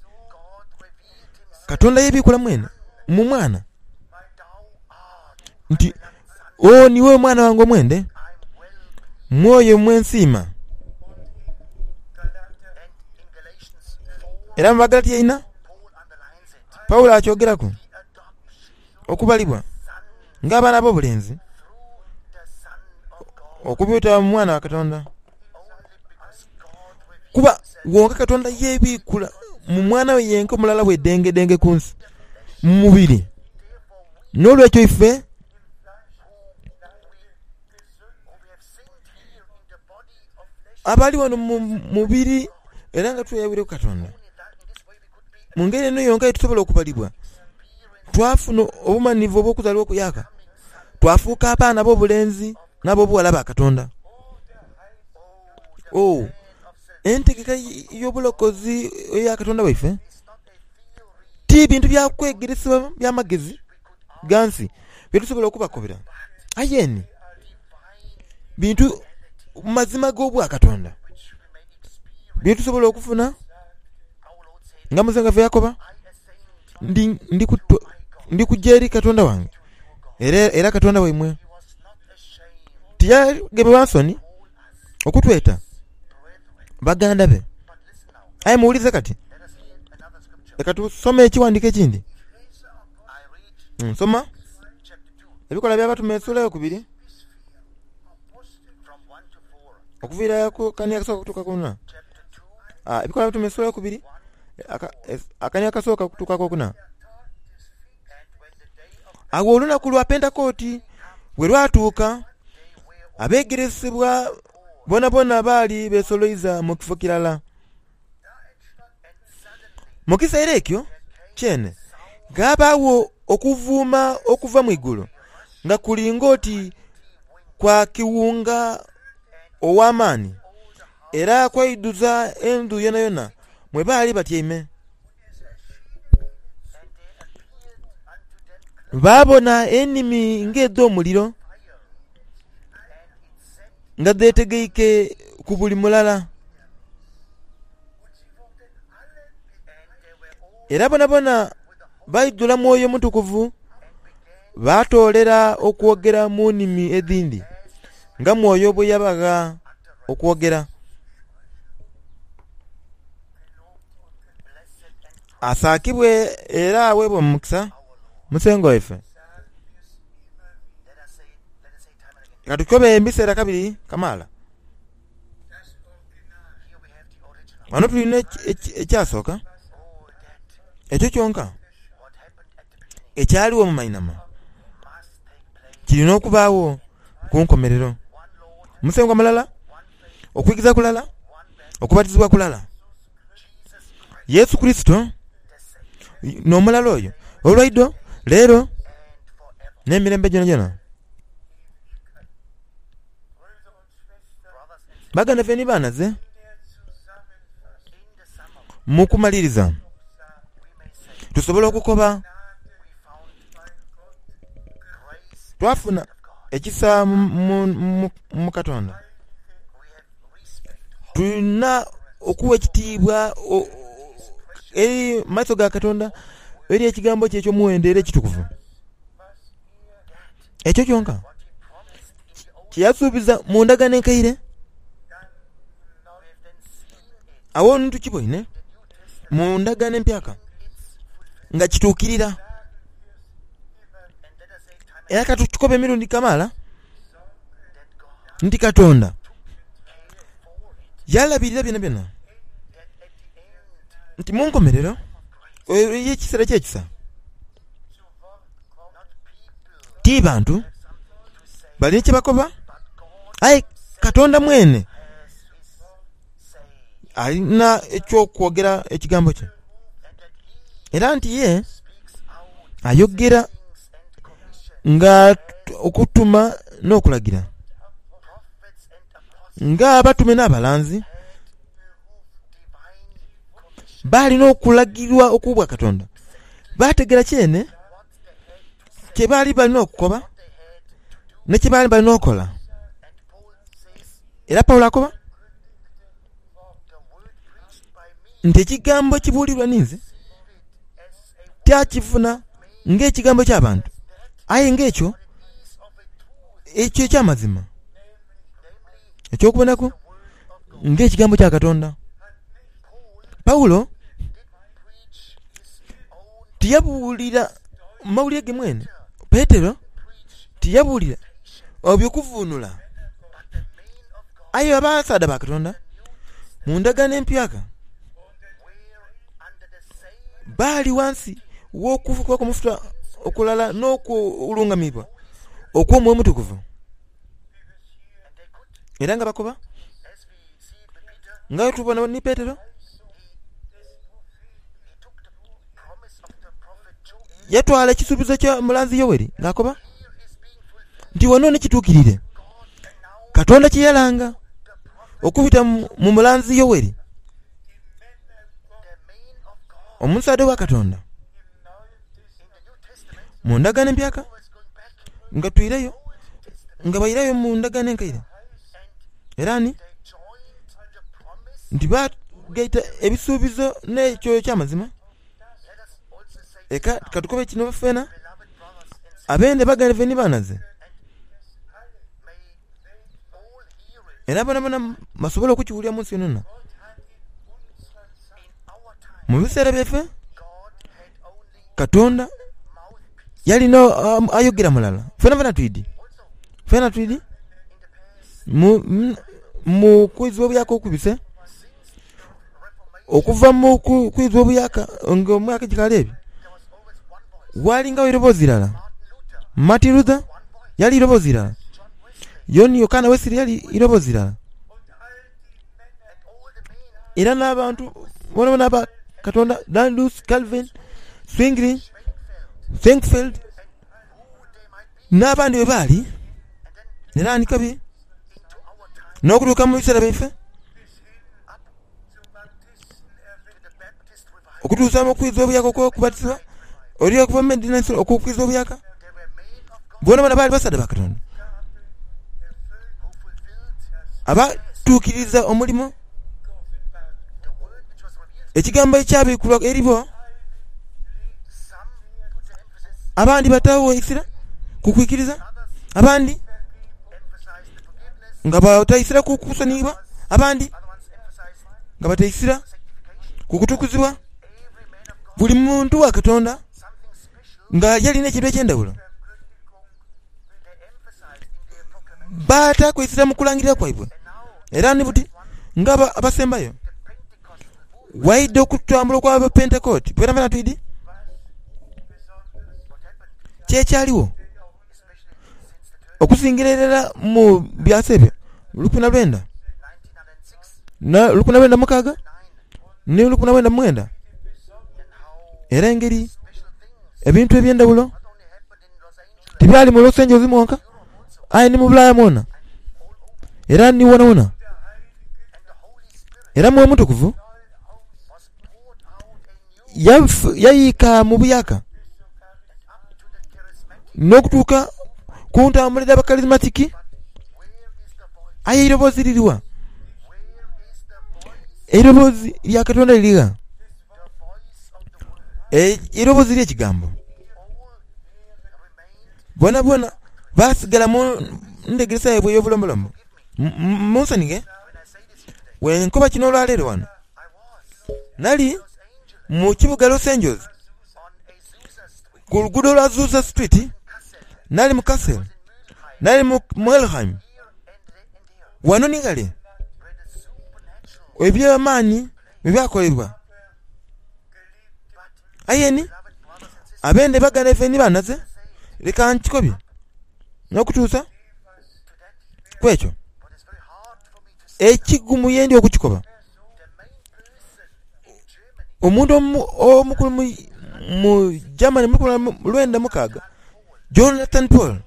Katonda yebiikula mwene mu Mwana nti, Oo niiwe Omwana wange omwende, mu oyo mwe nsiima. Era mu Bagalatia inha, Paulo akyogeraku okubalibwa ng'abaana ab'obulenzi okubita mu Mwana wa Katonda. Kuba wonka Katonda yebiikula mu Mwana we yenka omulala bwedengedenge ku nsi mu mubiri. N'olwekyo ife abali wano mu mubiri era nga tweyawire ku Katonda, mu ngeri eno yonka ye tusobola okubalibwa, twafuna obumanhivu obw'okuzaalibwa okuyaaka, twafuuka abaana ab'obulenzi n'ab'obughala ba Katonda. Oh, entegeka y'obulokozi eya Katonda waife ti bintu bya kwegeresebwa bya magezi ga nsi bye tusobola okubakobera, aye ni bintu mazima g'obwakatonda bye tusobola okufuna nga Musengwa waife yakoba, Ndi kuja eri Katonda wange era Katonda waimwe. Tiyagemebwa nsoni okutweta baganda be. Aye muwulirize kati. Leka tusome ekighandiiko ekindi. Nsoma Ebikolwa by'Abatume esula eyokubiri okuviira ku kani akasooka okutuuka ku na. Ebikolwa by'Abatume esula eyokubiri akani akasooka okutuuka ku okuna. Agho olunaku lwa Pentekooti bwe lwatuuka, abeegeresebwa boonaboona baali beesoloiza mu kifo kirala. Mu kiseera ekyo kyene ghaabaagho okuvuuma okuva mu igulu nga kuli ng'oti kwa kiwunga ow'amaani era kwaidhuza endhu yonayona mwe baali batyaime. Baabona enimi ng'edh'omuliro nga dhetegeike ku buli mulala. Era bonabona baidhula Mwoyo Mutukuvu baatoolera okwogera mu nnimi edhindi nga Mwoyo bwe yabagha okwogera. Asaakibwe era aweebwe omukisa Musengwa waife. Ka tukobe ebiseera kabiri kamaala. Ghano tulina ekyasooka, ekyo kyonka ekyaligho mu mainhama kiri n'okubaagho ku nkomerero. Musengwa mulala, okwikiriza kulala, okubatizibwa kulala. Yesu Kurisito n'omulala oyo olwaidho, leero, n'emirembe gyonagyona. Baganda baife ni baanaze, mu kumaliriza tusobola okukoba twafuna ekisa mu Katonda. Tulina okuwa ekitiibwa eri mu maiso ga Katonda eri ekigambo kye eky'omuwendo era ekitukuvu. Ekyo kyonka kye yasuubiza mu Ndagaano Enkaire, agho ni tukiboine mu Ndagaano Empyaka nga kituukirira. Era ka tukikobe emirundi kamaala nti Katonda yalabirira byonabyona nti mu nkomerero ey'ekiseera ky'ekisa, Ti bantu balina kye bakoba, aye Katonda mwene alina eky'okwogera ekigambo kye, era nti ye ayogera nga okutuma n'okulagira, nga abatume n'abalanzi baali n'okulagirwa okw'Obwakatonda, baategeera kyene kye baali bali n'okukoba ni kye baali bali n'okola. Era Paulo akoba nti ekigambo ekibuulirwa ninze tyakifuna ng'ekigambo ky'abantu, aye ng'ekyo ekyo eky'amazima eky'okubonaku ng'ekigambo kya Katonda. Paulo tiyabuulira mawulire ge mwene, Petero tiyabuulira eby'okuvuunula, aye abasaadha ba Katonda mu Ndagaano Empyaka baali ghansi w'okufukibwaku amafuta okulala n'okulungamibwa okw'Omwoyo Omutukuvu. Era nga bakoba, nga bwe tubona ni Petero, yatwala ekisuubizo kya mulanzi Yoeli ng'akoba nti wano ni kituukirire Katonda kye yalanga okubita mu mulanzi Yoeli, omusaadha wa Katonda. Mu Ndagaano Empyaka, nga twireyo, nga bairayo mu Ndagaano Enkaire, era ni nti baagaita ebisuubizo n'ekyo eky'amazima. Eka ka tukobe kino twena, abende baganda ni baanaze, era bonabona basobole okukiwulira mu nsi yonayona. Mu biseera byaife, Katonda yali ayogera mulala. Fenafena twidhi, fena twidhi mu kwidhwa obuyaka okubise, okuva mu kwidhwa obuyaka nga omwaka gikaali ebiri, ghalingagho eiroboozi irala. Martin Luther yali iroboozi irala, Yoni Yokaana Wesley yali iroboozi irala. Era n'abantu boonaboona aba Katonda, Landus, Calvin, Zwingli, Schwenkfeld, n'abandi bwe baali. Era ni kabi n'okutuuka mu biseera byaife, okutuusa mu kwiza obuyaka okw'okubatizibwa, oli okuva mu Medina okw'okwiza obuyaka. Boonaboona baali basaadha ba Katonda abatuukiriza omulimo ekigambo ekyabikulwa eri bo. Abandi bataagho eisira ku kwikiriza, abandi nga bata eisira ku kusoniyibwa, abandi nga bata eisira ku kutukuzibwa. Buli muntu wa Katonda nga yalina ekintu eky'endhawulo. Baataaku eisira mu kulangirira kwaibwe. Era ni buti nga abasembayo, waidha okutambula okw'Abapentekooti, twenafwena twidhi ki ekyaligho okusingira irala mu byasa ebyo lukumi na lwenda mukaaga ni 1909, era engeri ebintu eby'endhawulo tibyali mu Los Angeles mwonka aye ni mu Bulaaya mwona era ni wonawona. Era Mwoyo Mutukuvu yayiika mu buyaaka n'okutuuka ku ntambula edh'Abakalizimatiki. Aye eiroboozi liri wa? Eiroboozi lya Katonda liri gha? Eiroboozi ly'Ekigambo. Boonaboona baasigala mu ndhegeresa yaibwe ey'obulombolombo. Munsonighe bwe nkoba kino olwaleero wano. Nali mu kibuga Los Angeles, ku luguudo lwa Azusa Street, nali mu Kassel, nali mu Muelheim, wano ni ghale eby'amaani bwe byakolebwa. Aye ni, abende baganda baife ni banhaze, leka nkikobye n'okutuusa ku ekyo ekigumu ye ndi okukikoba. Omuntu omukulu mu Germany mu lukumi lwenda mukaaga, Jonathan Paul,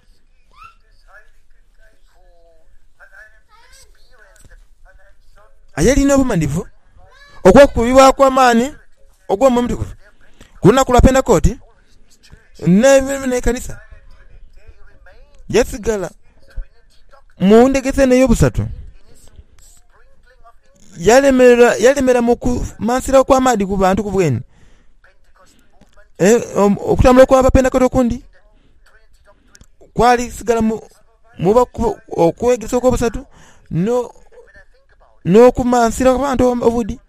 Aye lina obumanhifu obw'okukubibwaku amaani ogw'Omwoyo Omutukuvu ku lunaku lwa Pentekooti n'ekanisa yasigala mu ndhegesa eno ey'obusatu. Yalemera mu kumansira okw'amaadhi ku bantu ku bweni. Okutambula okw'Abapentekooti okundi kwali sigala mu okwegeresa okw'obusatu n'okumansira abantu obudi.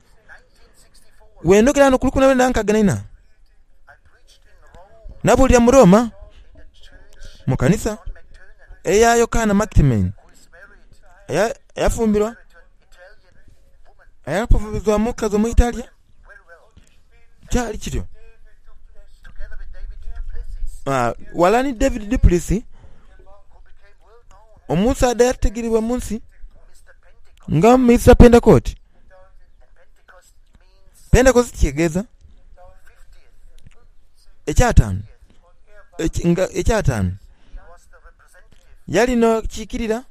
Bwendhogera ghano ku 1964, nabuulira mu Roma mu kanisa eya Yokaana Mactmen eyafumbirwa omukazi Omuitalia. Kyali kityo. Ghalala ni David Du Plessis, omusaadha eyategeerebwa mu nsi nga Mister Pentecote. Pentecost kitegeeza ekyataanu, nga ekyataanu. Yali n'akiikirira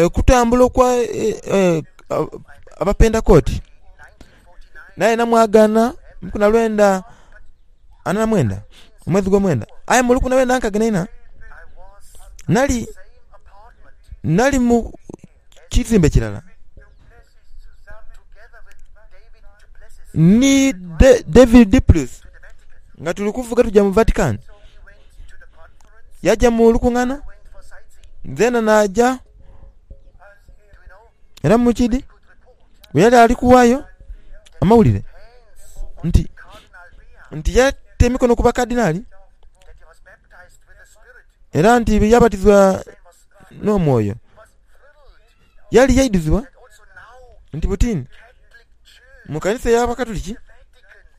okutambula okwa Abapentekooti. Naye namwagaana mu lukumi na lwenda ana na mwenda, omwezi gw'omwenda. Aye mu lukumi na lwenda nkaaga n'eina, nali nali mu kizimbe kirala ni David Duplessis nga tuli kuvuga tuja mu Vatican. Yaja mu lukungaana, zeena naaja. Era mu kidi bwe yali ali kuwaayo amawulire nti nti yata emikono ku bakadinali era nti yabatizibwa n'omwoyo. Yali yaidhuzibwa nti buti mu kanisa ey'Abakatuliki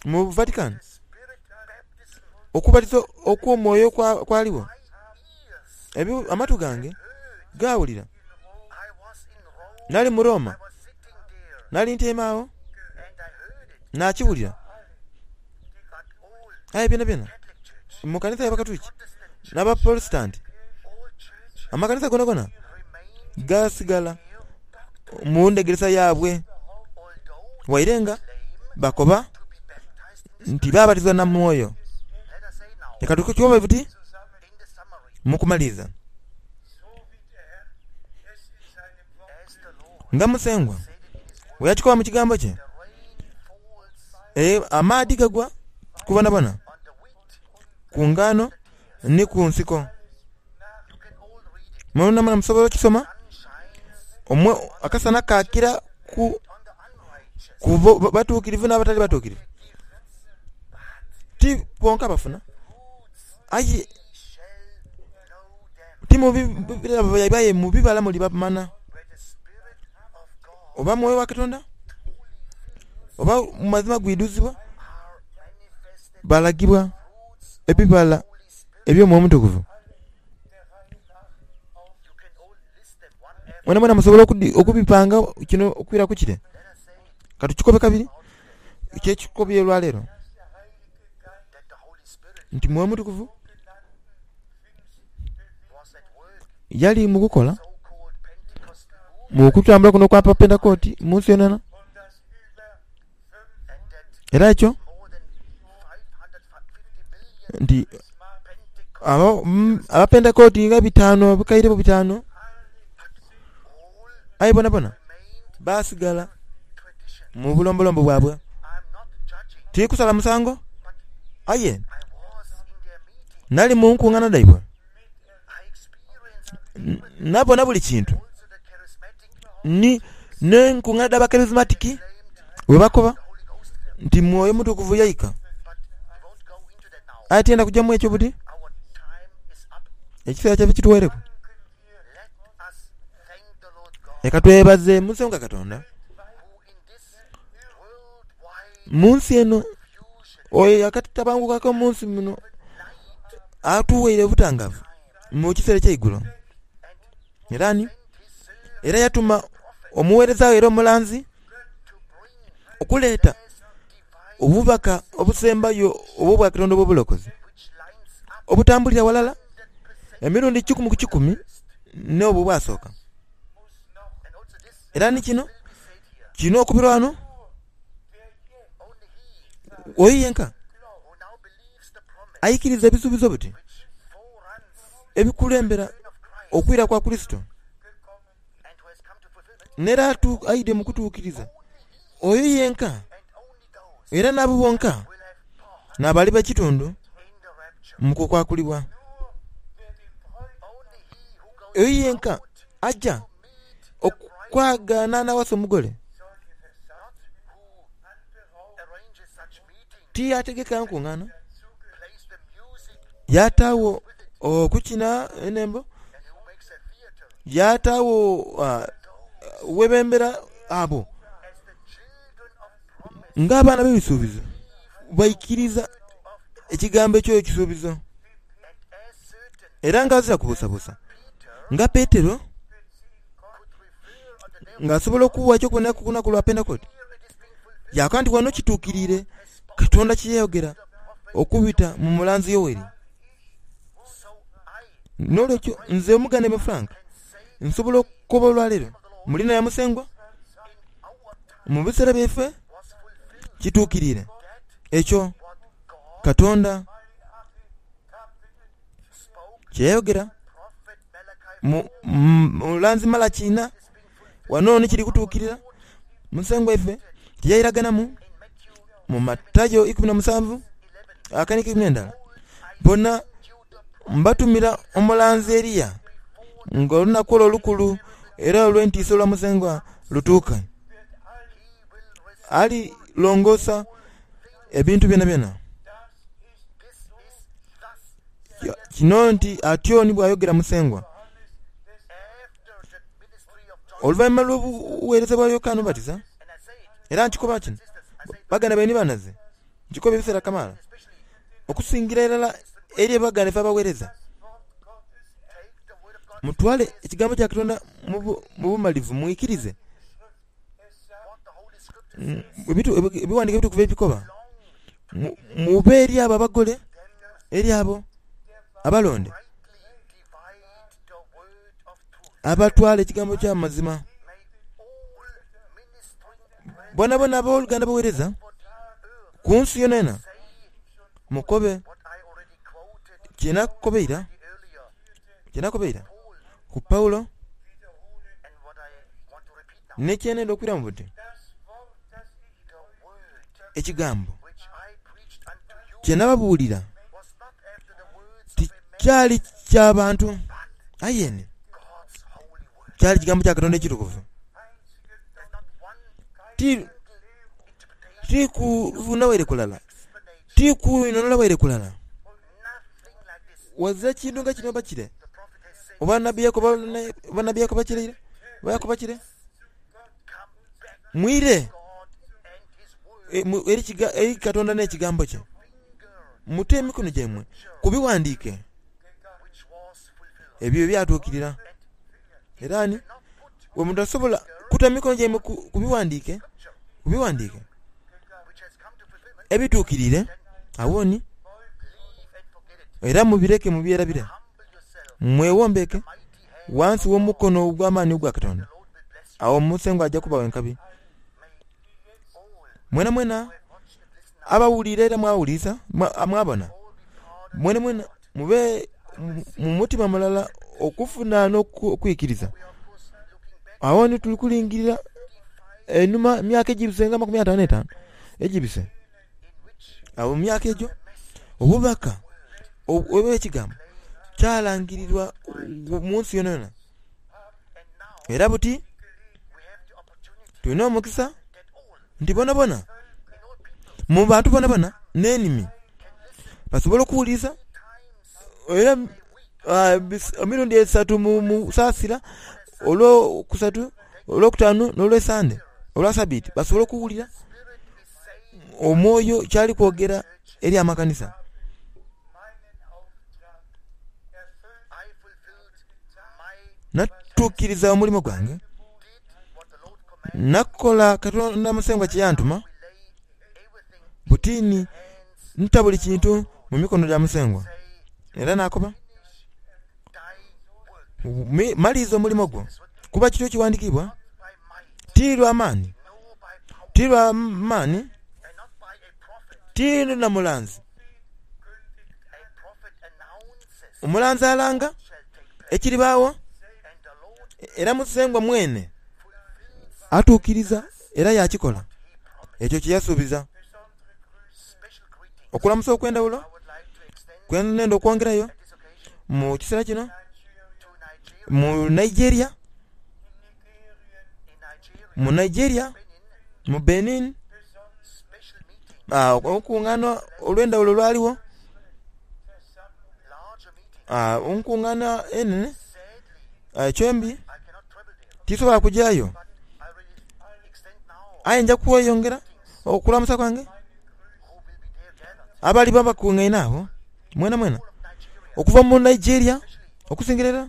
mu Vatican okubatiza okw'omwoyo kwaligho. Amatu gange gaawulira. Nali mu Roma, nali ntyaime agho naakiwulira. Aye byonabyona mu kanisa y'Abakatuliki n'Abaprotestanti, Amakanisa gonagona gaasigala mu ndhegeresa yaabwe waire nga bakoba nti baabatizibwa na Mwoyo. Leka tukikobe buti mu kumaliriza. Nga Musengwa bwe yakikoba mu kigambo kye, amaadhi gagwa ku bonabona, ku ngaano ni ku nsiko. Mwonamwona musobola okukisoma, akasana kaakira ku batuukirivu n'abatali batuukirivu. Ti bonka abafuna, aye ti mu birabo byaibwe aye mu bibala mulibamanha. Oba Mwoyo wa Katonda, oba mu mazima gwidhuzibwa, balagibwa ebibala eby'Omwoyo Omutukuvu. Mwenamwena musobola okubipanga kino okwira ku kire. Ka tukikobe kabiri, kyekikobye olwaleero nti Mwoyo Mutukuvu yali mu kukola mu kutambula kuno okwa Pentekooti mu nsi yonayona. Era ekyo nti Abapentekooti nga bitaanu, obukaire butaanu, aye bonabona baasigala mu bulombolombo bwabwe. Tiri kusala musango, aye nali mu nkungaana dhaibwe, nabona buli kintu. Ni n'enkungaana dh'Abakerisimatiki bwe bakoba nti Mwoyo Mutukuvu yaika. Aye tiyenda kuja mu ekyo buti, ekiseera kyaife kituwaireku. Leka twebaze Musengwa Katonda mu nsi eno oyo akatabangukaku mu nsi muno atuwaire obutangavu mu kiseera eky'eigulo. Era ni, era yatuma omuweereza we era omulanzi okuleeta obubaka obusembayo obw'Obwakatonda obw'obulokozi, obutambulira ghalala emirundi kikumi ku kikumi n'obwo obwasooka. Era ni kino kirina okubirwa ghano, oyo yenka aikiriza ebisuubizo biti ebikulembera okwira kwa Kurisito, n'era aidhe mu kutuukiriza, oyo yenka era n'abo bonka n'abaliba ekitundu mu kukwakulibwa. Oyo yenka aja okwagaana n'awasa omugole tiyategeka nkungaana, yaataagho okukina enhembo, yaataagho ghebembera abo ng'abaana b'ebisuubizo baikiriza ekigambo eky'ekisuubizo. Era nga ghazira kubuusabuusa, nga Petero ng'asobola okuwa eky'okuboneraku ku lunaku lwa Pentekote, yaakoba nti, Wano kituukiriire Katonda kye yayogera okubita mu mulanzi Yoeli. N'olwekyo nze Omuganeme Frank nsobola okukoba olwaleero mu liina lya Musengwa, mu biseera byaife kituukiriire ekyo Katonda kye yayogera mu mulanzi Malaki inha. Wano ni kiri kutuukirira Musengwa waife kye yairaganamu mu Matayo 17 akani 11. Bona, mbatumira omulanzi Eliya ng'olunaku olwo olukulu era olw'entiisa olwa Musengwa lutuuka. Alilongoosa ebintu byonabyona. Kino nti atyo ni bw'ayogera Musengwa. Oluvainhuma lw'obugheereza bwa Yokaana Omubatiza, era nkikoba kino, baganda baine ni banhaze, nkikoba ebiseera kamaala, okusingira irala eri baganda baife abagheereza, mutwale ekigambo kya Katonda mu bumalivu, mwikirize Ebighandiiko ebitukuvu ebikoba, Mube eri abo abagole, eri abo abalonde. Abatwala ekigambo ky'amazima. Bonabona aboluganda abawereza ku nsi yonayona mukobe kyenakoba eira ku Paulo ni kyenenda okwiramu buti. Ekigambo kye nababuulira tikyali kya bantu, aye ni kyali kigambo kya Katonda ekitukuvu. Ti kuvunda waire kulala, ti kwinhonhola waire kulala, ghazira kintu nga kino oba kire, oba nabbi yakoba kire, oba yakoba kire. Mwire eri Katonda n'ekigambo kye. Mute emikono gyaimwe ku bighandiike ebyo ebyatuukirira. Era ni bwe mutasobola kuta mikono gyaimwe ku bighandiike, ku bighandiike ebituukiriire, agho ni era mubireke mubyerabire. Mweghombeeke ghansi w'omukono ogw'amaani ogwa Katonda, agho Musengwa aja kubagha enkabi. Mwenamwena abawulira era mwawulirisa, mwabona, mwenamwena mube mu mutima mulala okufuna n'okwikiriza. Agho ni tuli kulingirira einhuma emyaka egibise nga amakumi ataanu n'etaanu egibise. Agho mu myaka egyo obubaka obw'ekigambo kyalangirirwa mu nsi yonayona. Era buti tulina omukisa nti bonabona, mu bantu bonabona n'enimi, basobola okuwulirisa era emirundi esatu mu saasira, olwokusatu, olwokutaanu n'olwesande, olwa sabiiti, basobola okuwulira Omwoyo kyali kwogera eri amakanisa. Natuukiriza omulimo gwange, nakola Katonda Musengwa kye yantuma. Buti ni nta buli kintu mu mikono gya Musengwa. Era naakoba, Maliriza omulimo gwo, kuba kityo kiwandikiibwa, Ti lwa maani, ti lwa maani, ti na mulanzi. Omulanzi alanga ekiribaagho, era Musengwa mwene atuukiriza era yaakikola ekyo kye yasuubiza. Okulamusa okw'endhawulo kwe nenda okwongerayo mu kiseera kino mu Nigeria, mu Nigeria, mu Benin, olukungaana olw'endhawulo lwaligho, enkungaana enhenhe. Eky'embi tisobola kujayo aye nja kweyongera okulamusa kwange abaliba bakungaine agho mwenamwena okuva mu Nigeria okusingira irala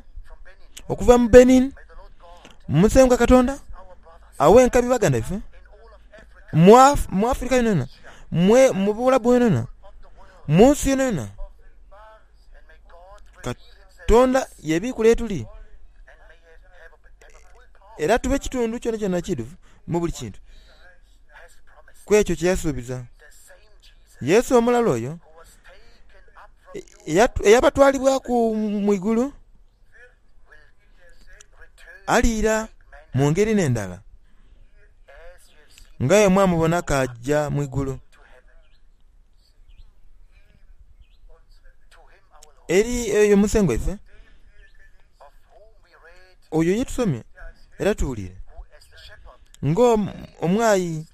okuva mu Benin. Musengwa Katonda awe enkabi baganda baife mu Africa yonayona, mu Buwalabu yonayona, mu nsi yonayona. Katonda yebikule yetuli era tube kitundu kyonakyona ekiidhuvu mu buli kintu ku ekyo kye yasuubiza. Yesu omulala oyo eyabatwalibwaku mu igulu aliira mu ngeri n'endala nga bwe mwamubona k'aja mu igulu. Eri oyo Musengwa waife, oyo ye tusomye era tuwulire, ng'omwayi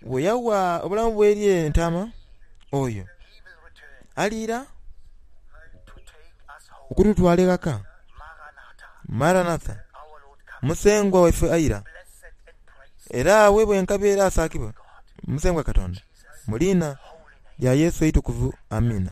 bwe yawa obulamu bwe eri entaama, oyo aliira okututwala eghaka. Maranatha! Musengwa waife aira, era aweebwe enkabi era asaakibwe Musengwa Katonda. Mu liina lya Yesu eitukuvu. Amiina.